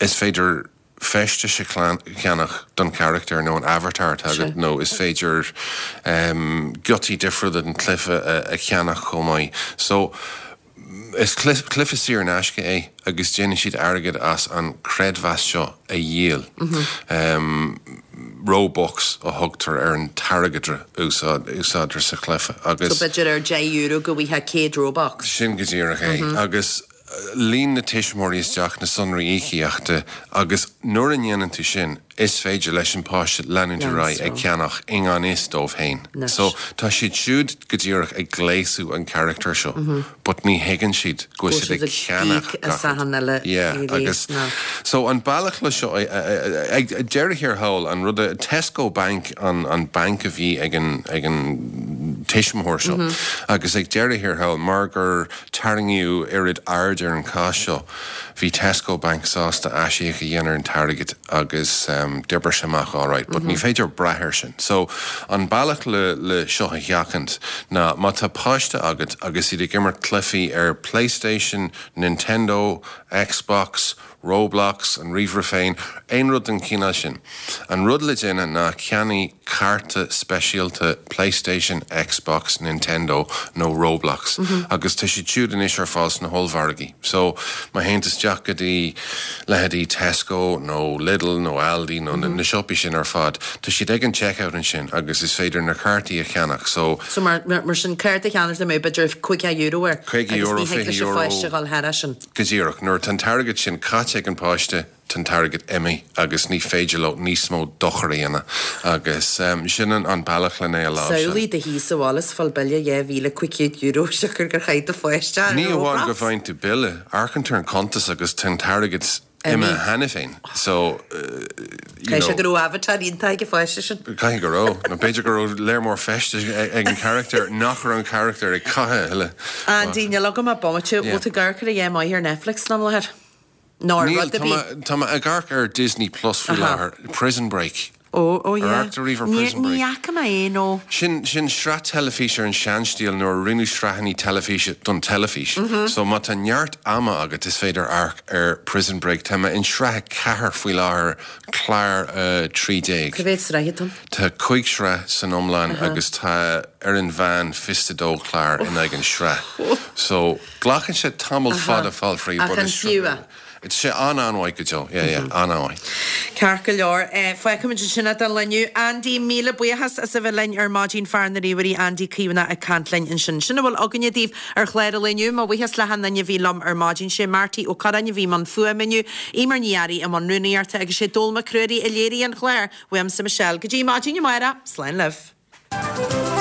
is féidir feistis a cheannach don charachtar nó an avatar atá agat nó is féidir giotaí difriúla den chluiche a cheannach chomh maith. So, is cluiche saor in aisce é agus déanann siad airgead as an creidmheas seo a dhíol. Robux a thugtar ar an t-airgeadra a úsáidtear sa chluiche agus. So b'fhéidir ar €10 go bhfaighfeá 100 Robux. Sin go díreach é. Agus. Líon na tuismitheoirí isteach na sonraí íocaíochta agus nuair a ndéanann tú sin, is féidir leis an páiste leanúint ar aghaidh ag ceannach i ngan fhios dóibh féin. So, tá siad siúd go díreach ag gléasadh an charachtar seo but ní thuigeann siad go bhfuil siad ag ceannach gach rud. Yeah, agus so an bealach le seo, ag deireadh thiar thall, an rud a, Tesco Bank an an banc a bhí ag an ag an tuismitheoir seo agus ag deireadh thiar thall mar gur Tarraingíodh oiread aird ar an chás seo. Bhí Tesco Bank sásta aisíoc a dhéanamh ar an t-airgead agus d'oibrigh sé amach alright. But ní féidir brath air sin. So, an bealach le le seo a sheachaint ná má tá páiste agat agus iad ag imirt cluichí ar PlayStation, Nintendo, Xbox, Roblox, an ríomhaire féin, aon rud den chineál sin. An rud le déanamh ná ceannaigh cárta speisialta PlayStation, Xbox, Nintendo nó Roblox agus tá siad siúd anois ar fáil sna hollmhargaí. So, má théann tú isteach go dtí leithéidí Tesco nó Lidl nó Aldi nó na siopaí sin ar fad, tá siad ag an checkout ansin agus is féidir na cártaí a cheannach. So. So mar sin cárta a cheannach le b'fhéidir €50 air agus ní thig leis an pháiste a dhul thairis sin. Go díreach. Nuair atá an t-airgead sin caite ag an páiste, tá an t-airgead imithe agus ní féidir leo níos mó dochar a dhéanamh agus sin an bealach len é a láimhseáil. Samhlaigh i do shuí sa bhaile is fáil bille €2,500 siocair gur chaith do pháiste ar Ní amháin go bhfaigheann tú bille, amharcann tú ar an cuntas agus tá an t-airgead imithe cheana féin so you know. Caithfidh sé go raibh avatar iontach ag an pháiste sin. Caithfidh go raibh, nó b'fhéidir go raibh léar mór feistis ag an charachtar nach raibh an charachtar ag caitheamh a thuilleadh. Andy, níl agam ach bomaite, bhfuil tú ag amharc ar a dhath maith ar Netflix am láthair? Nó ar Níl, rud ar bith? tá mé ag amharc ar Disney Plus faoi láthair, Prison Break. Ó, ó Ar yeah. amharc tú riamh ar Prison Ní Break? fhaca mé é, no. Sin, sin sraith teilifíse ar an seanstíl nuair a rinneadh sraitheanna teilifíse don teilifís. So má tá neart ama agat is féidir amharc ar Prison Break. Tá mé in sraith 4 faoi láthair, clár 13. Cá mhéad sraith atá ann? Tá 5 shraith san iomlán agus tá ar an mheán 22 clár in aghaidh an sraith. So. Glacann sé tamall fada fáil fríd Ach but an is fiú é? Tá sé an-an-mhaith go deo. Yeah, yeah, an-an-mhaith. Ceart go leor. Fágfaimid ansin é don lá inniu. Andy, míle buíochas as a bheith linn ar maidin fear na ríomhairí Andy Caomhánach ag caint linn ansin. Sin a bhfuil againne daoibh ar chlár an lae inniu. Mo bhuíochas le hachan duine a bhí liom ar maidin. Sé Marty Ó Curráin a bhí i mbun fuaime inniu, Eimear Ní Fhearraigh i mbun rúnaíochta agus sé Dónall Mac Ruairí a léirigh an clár. Uaimse Michelle. Go dtí maidin amárach, slán libh.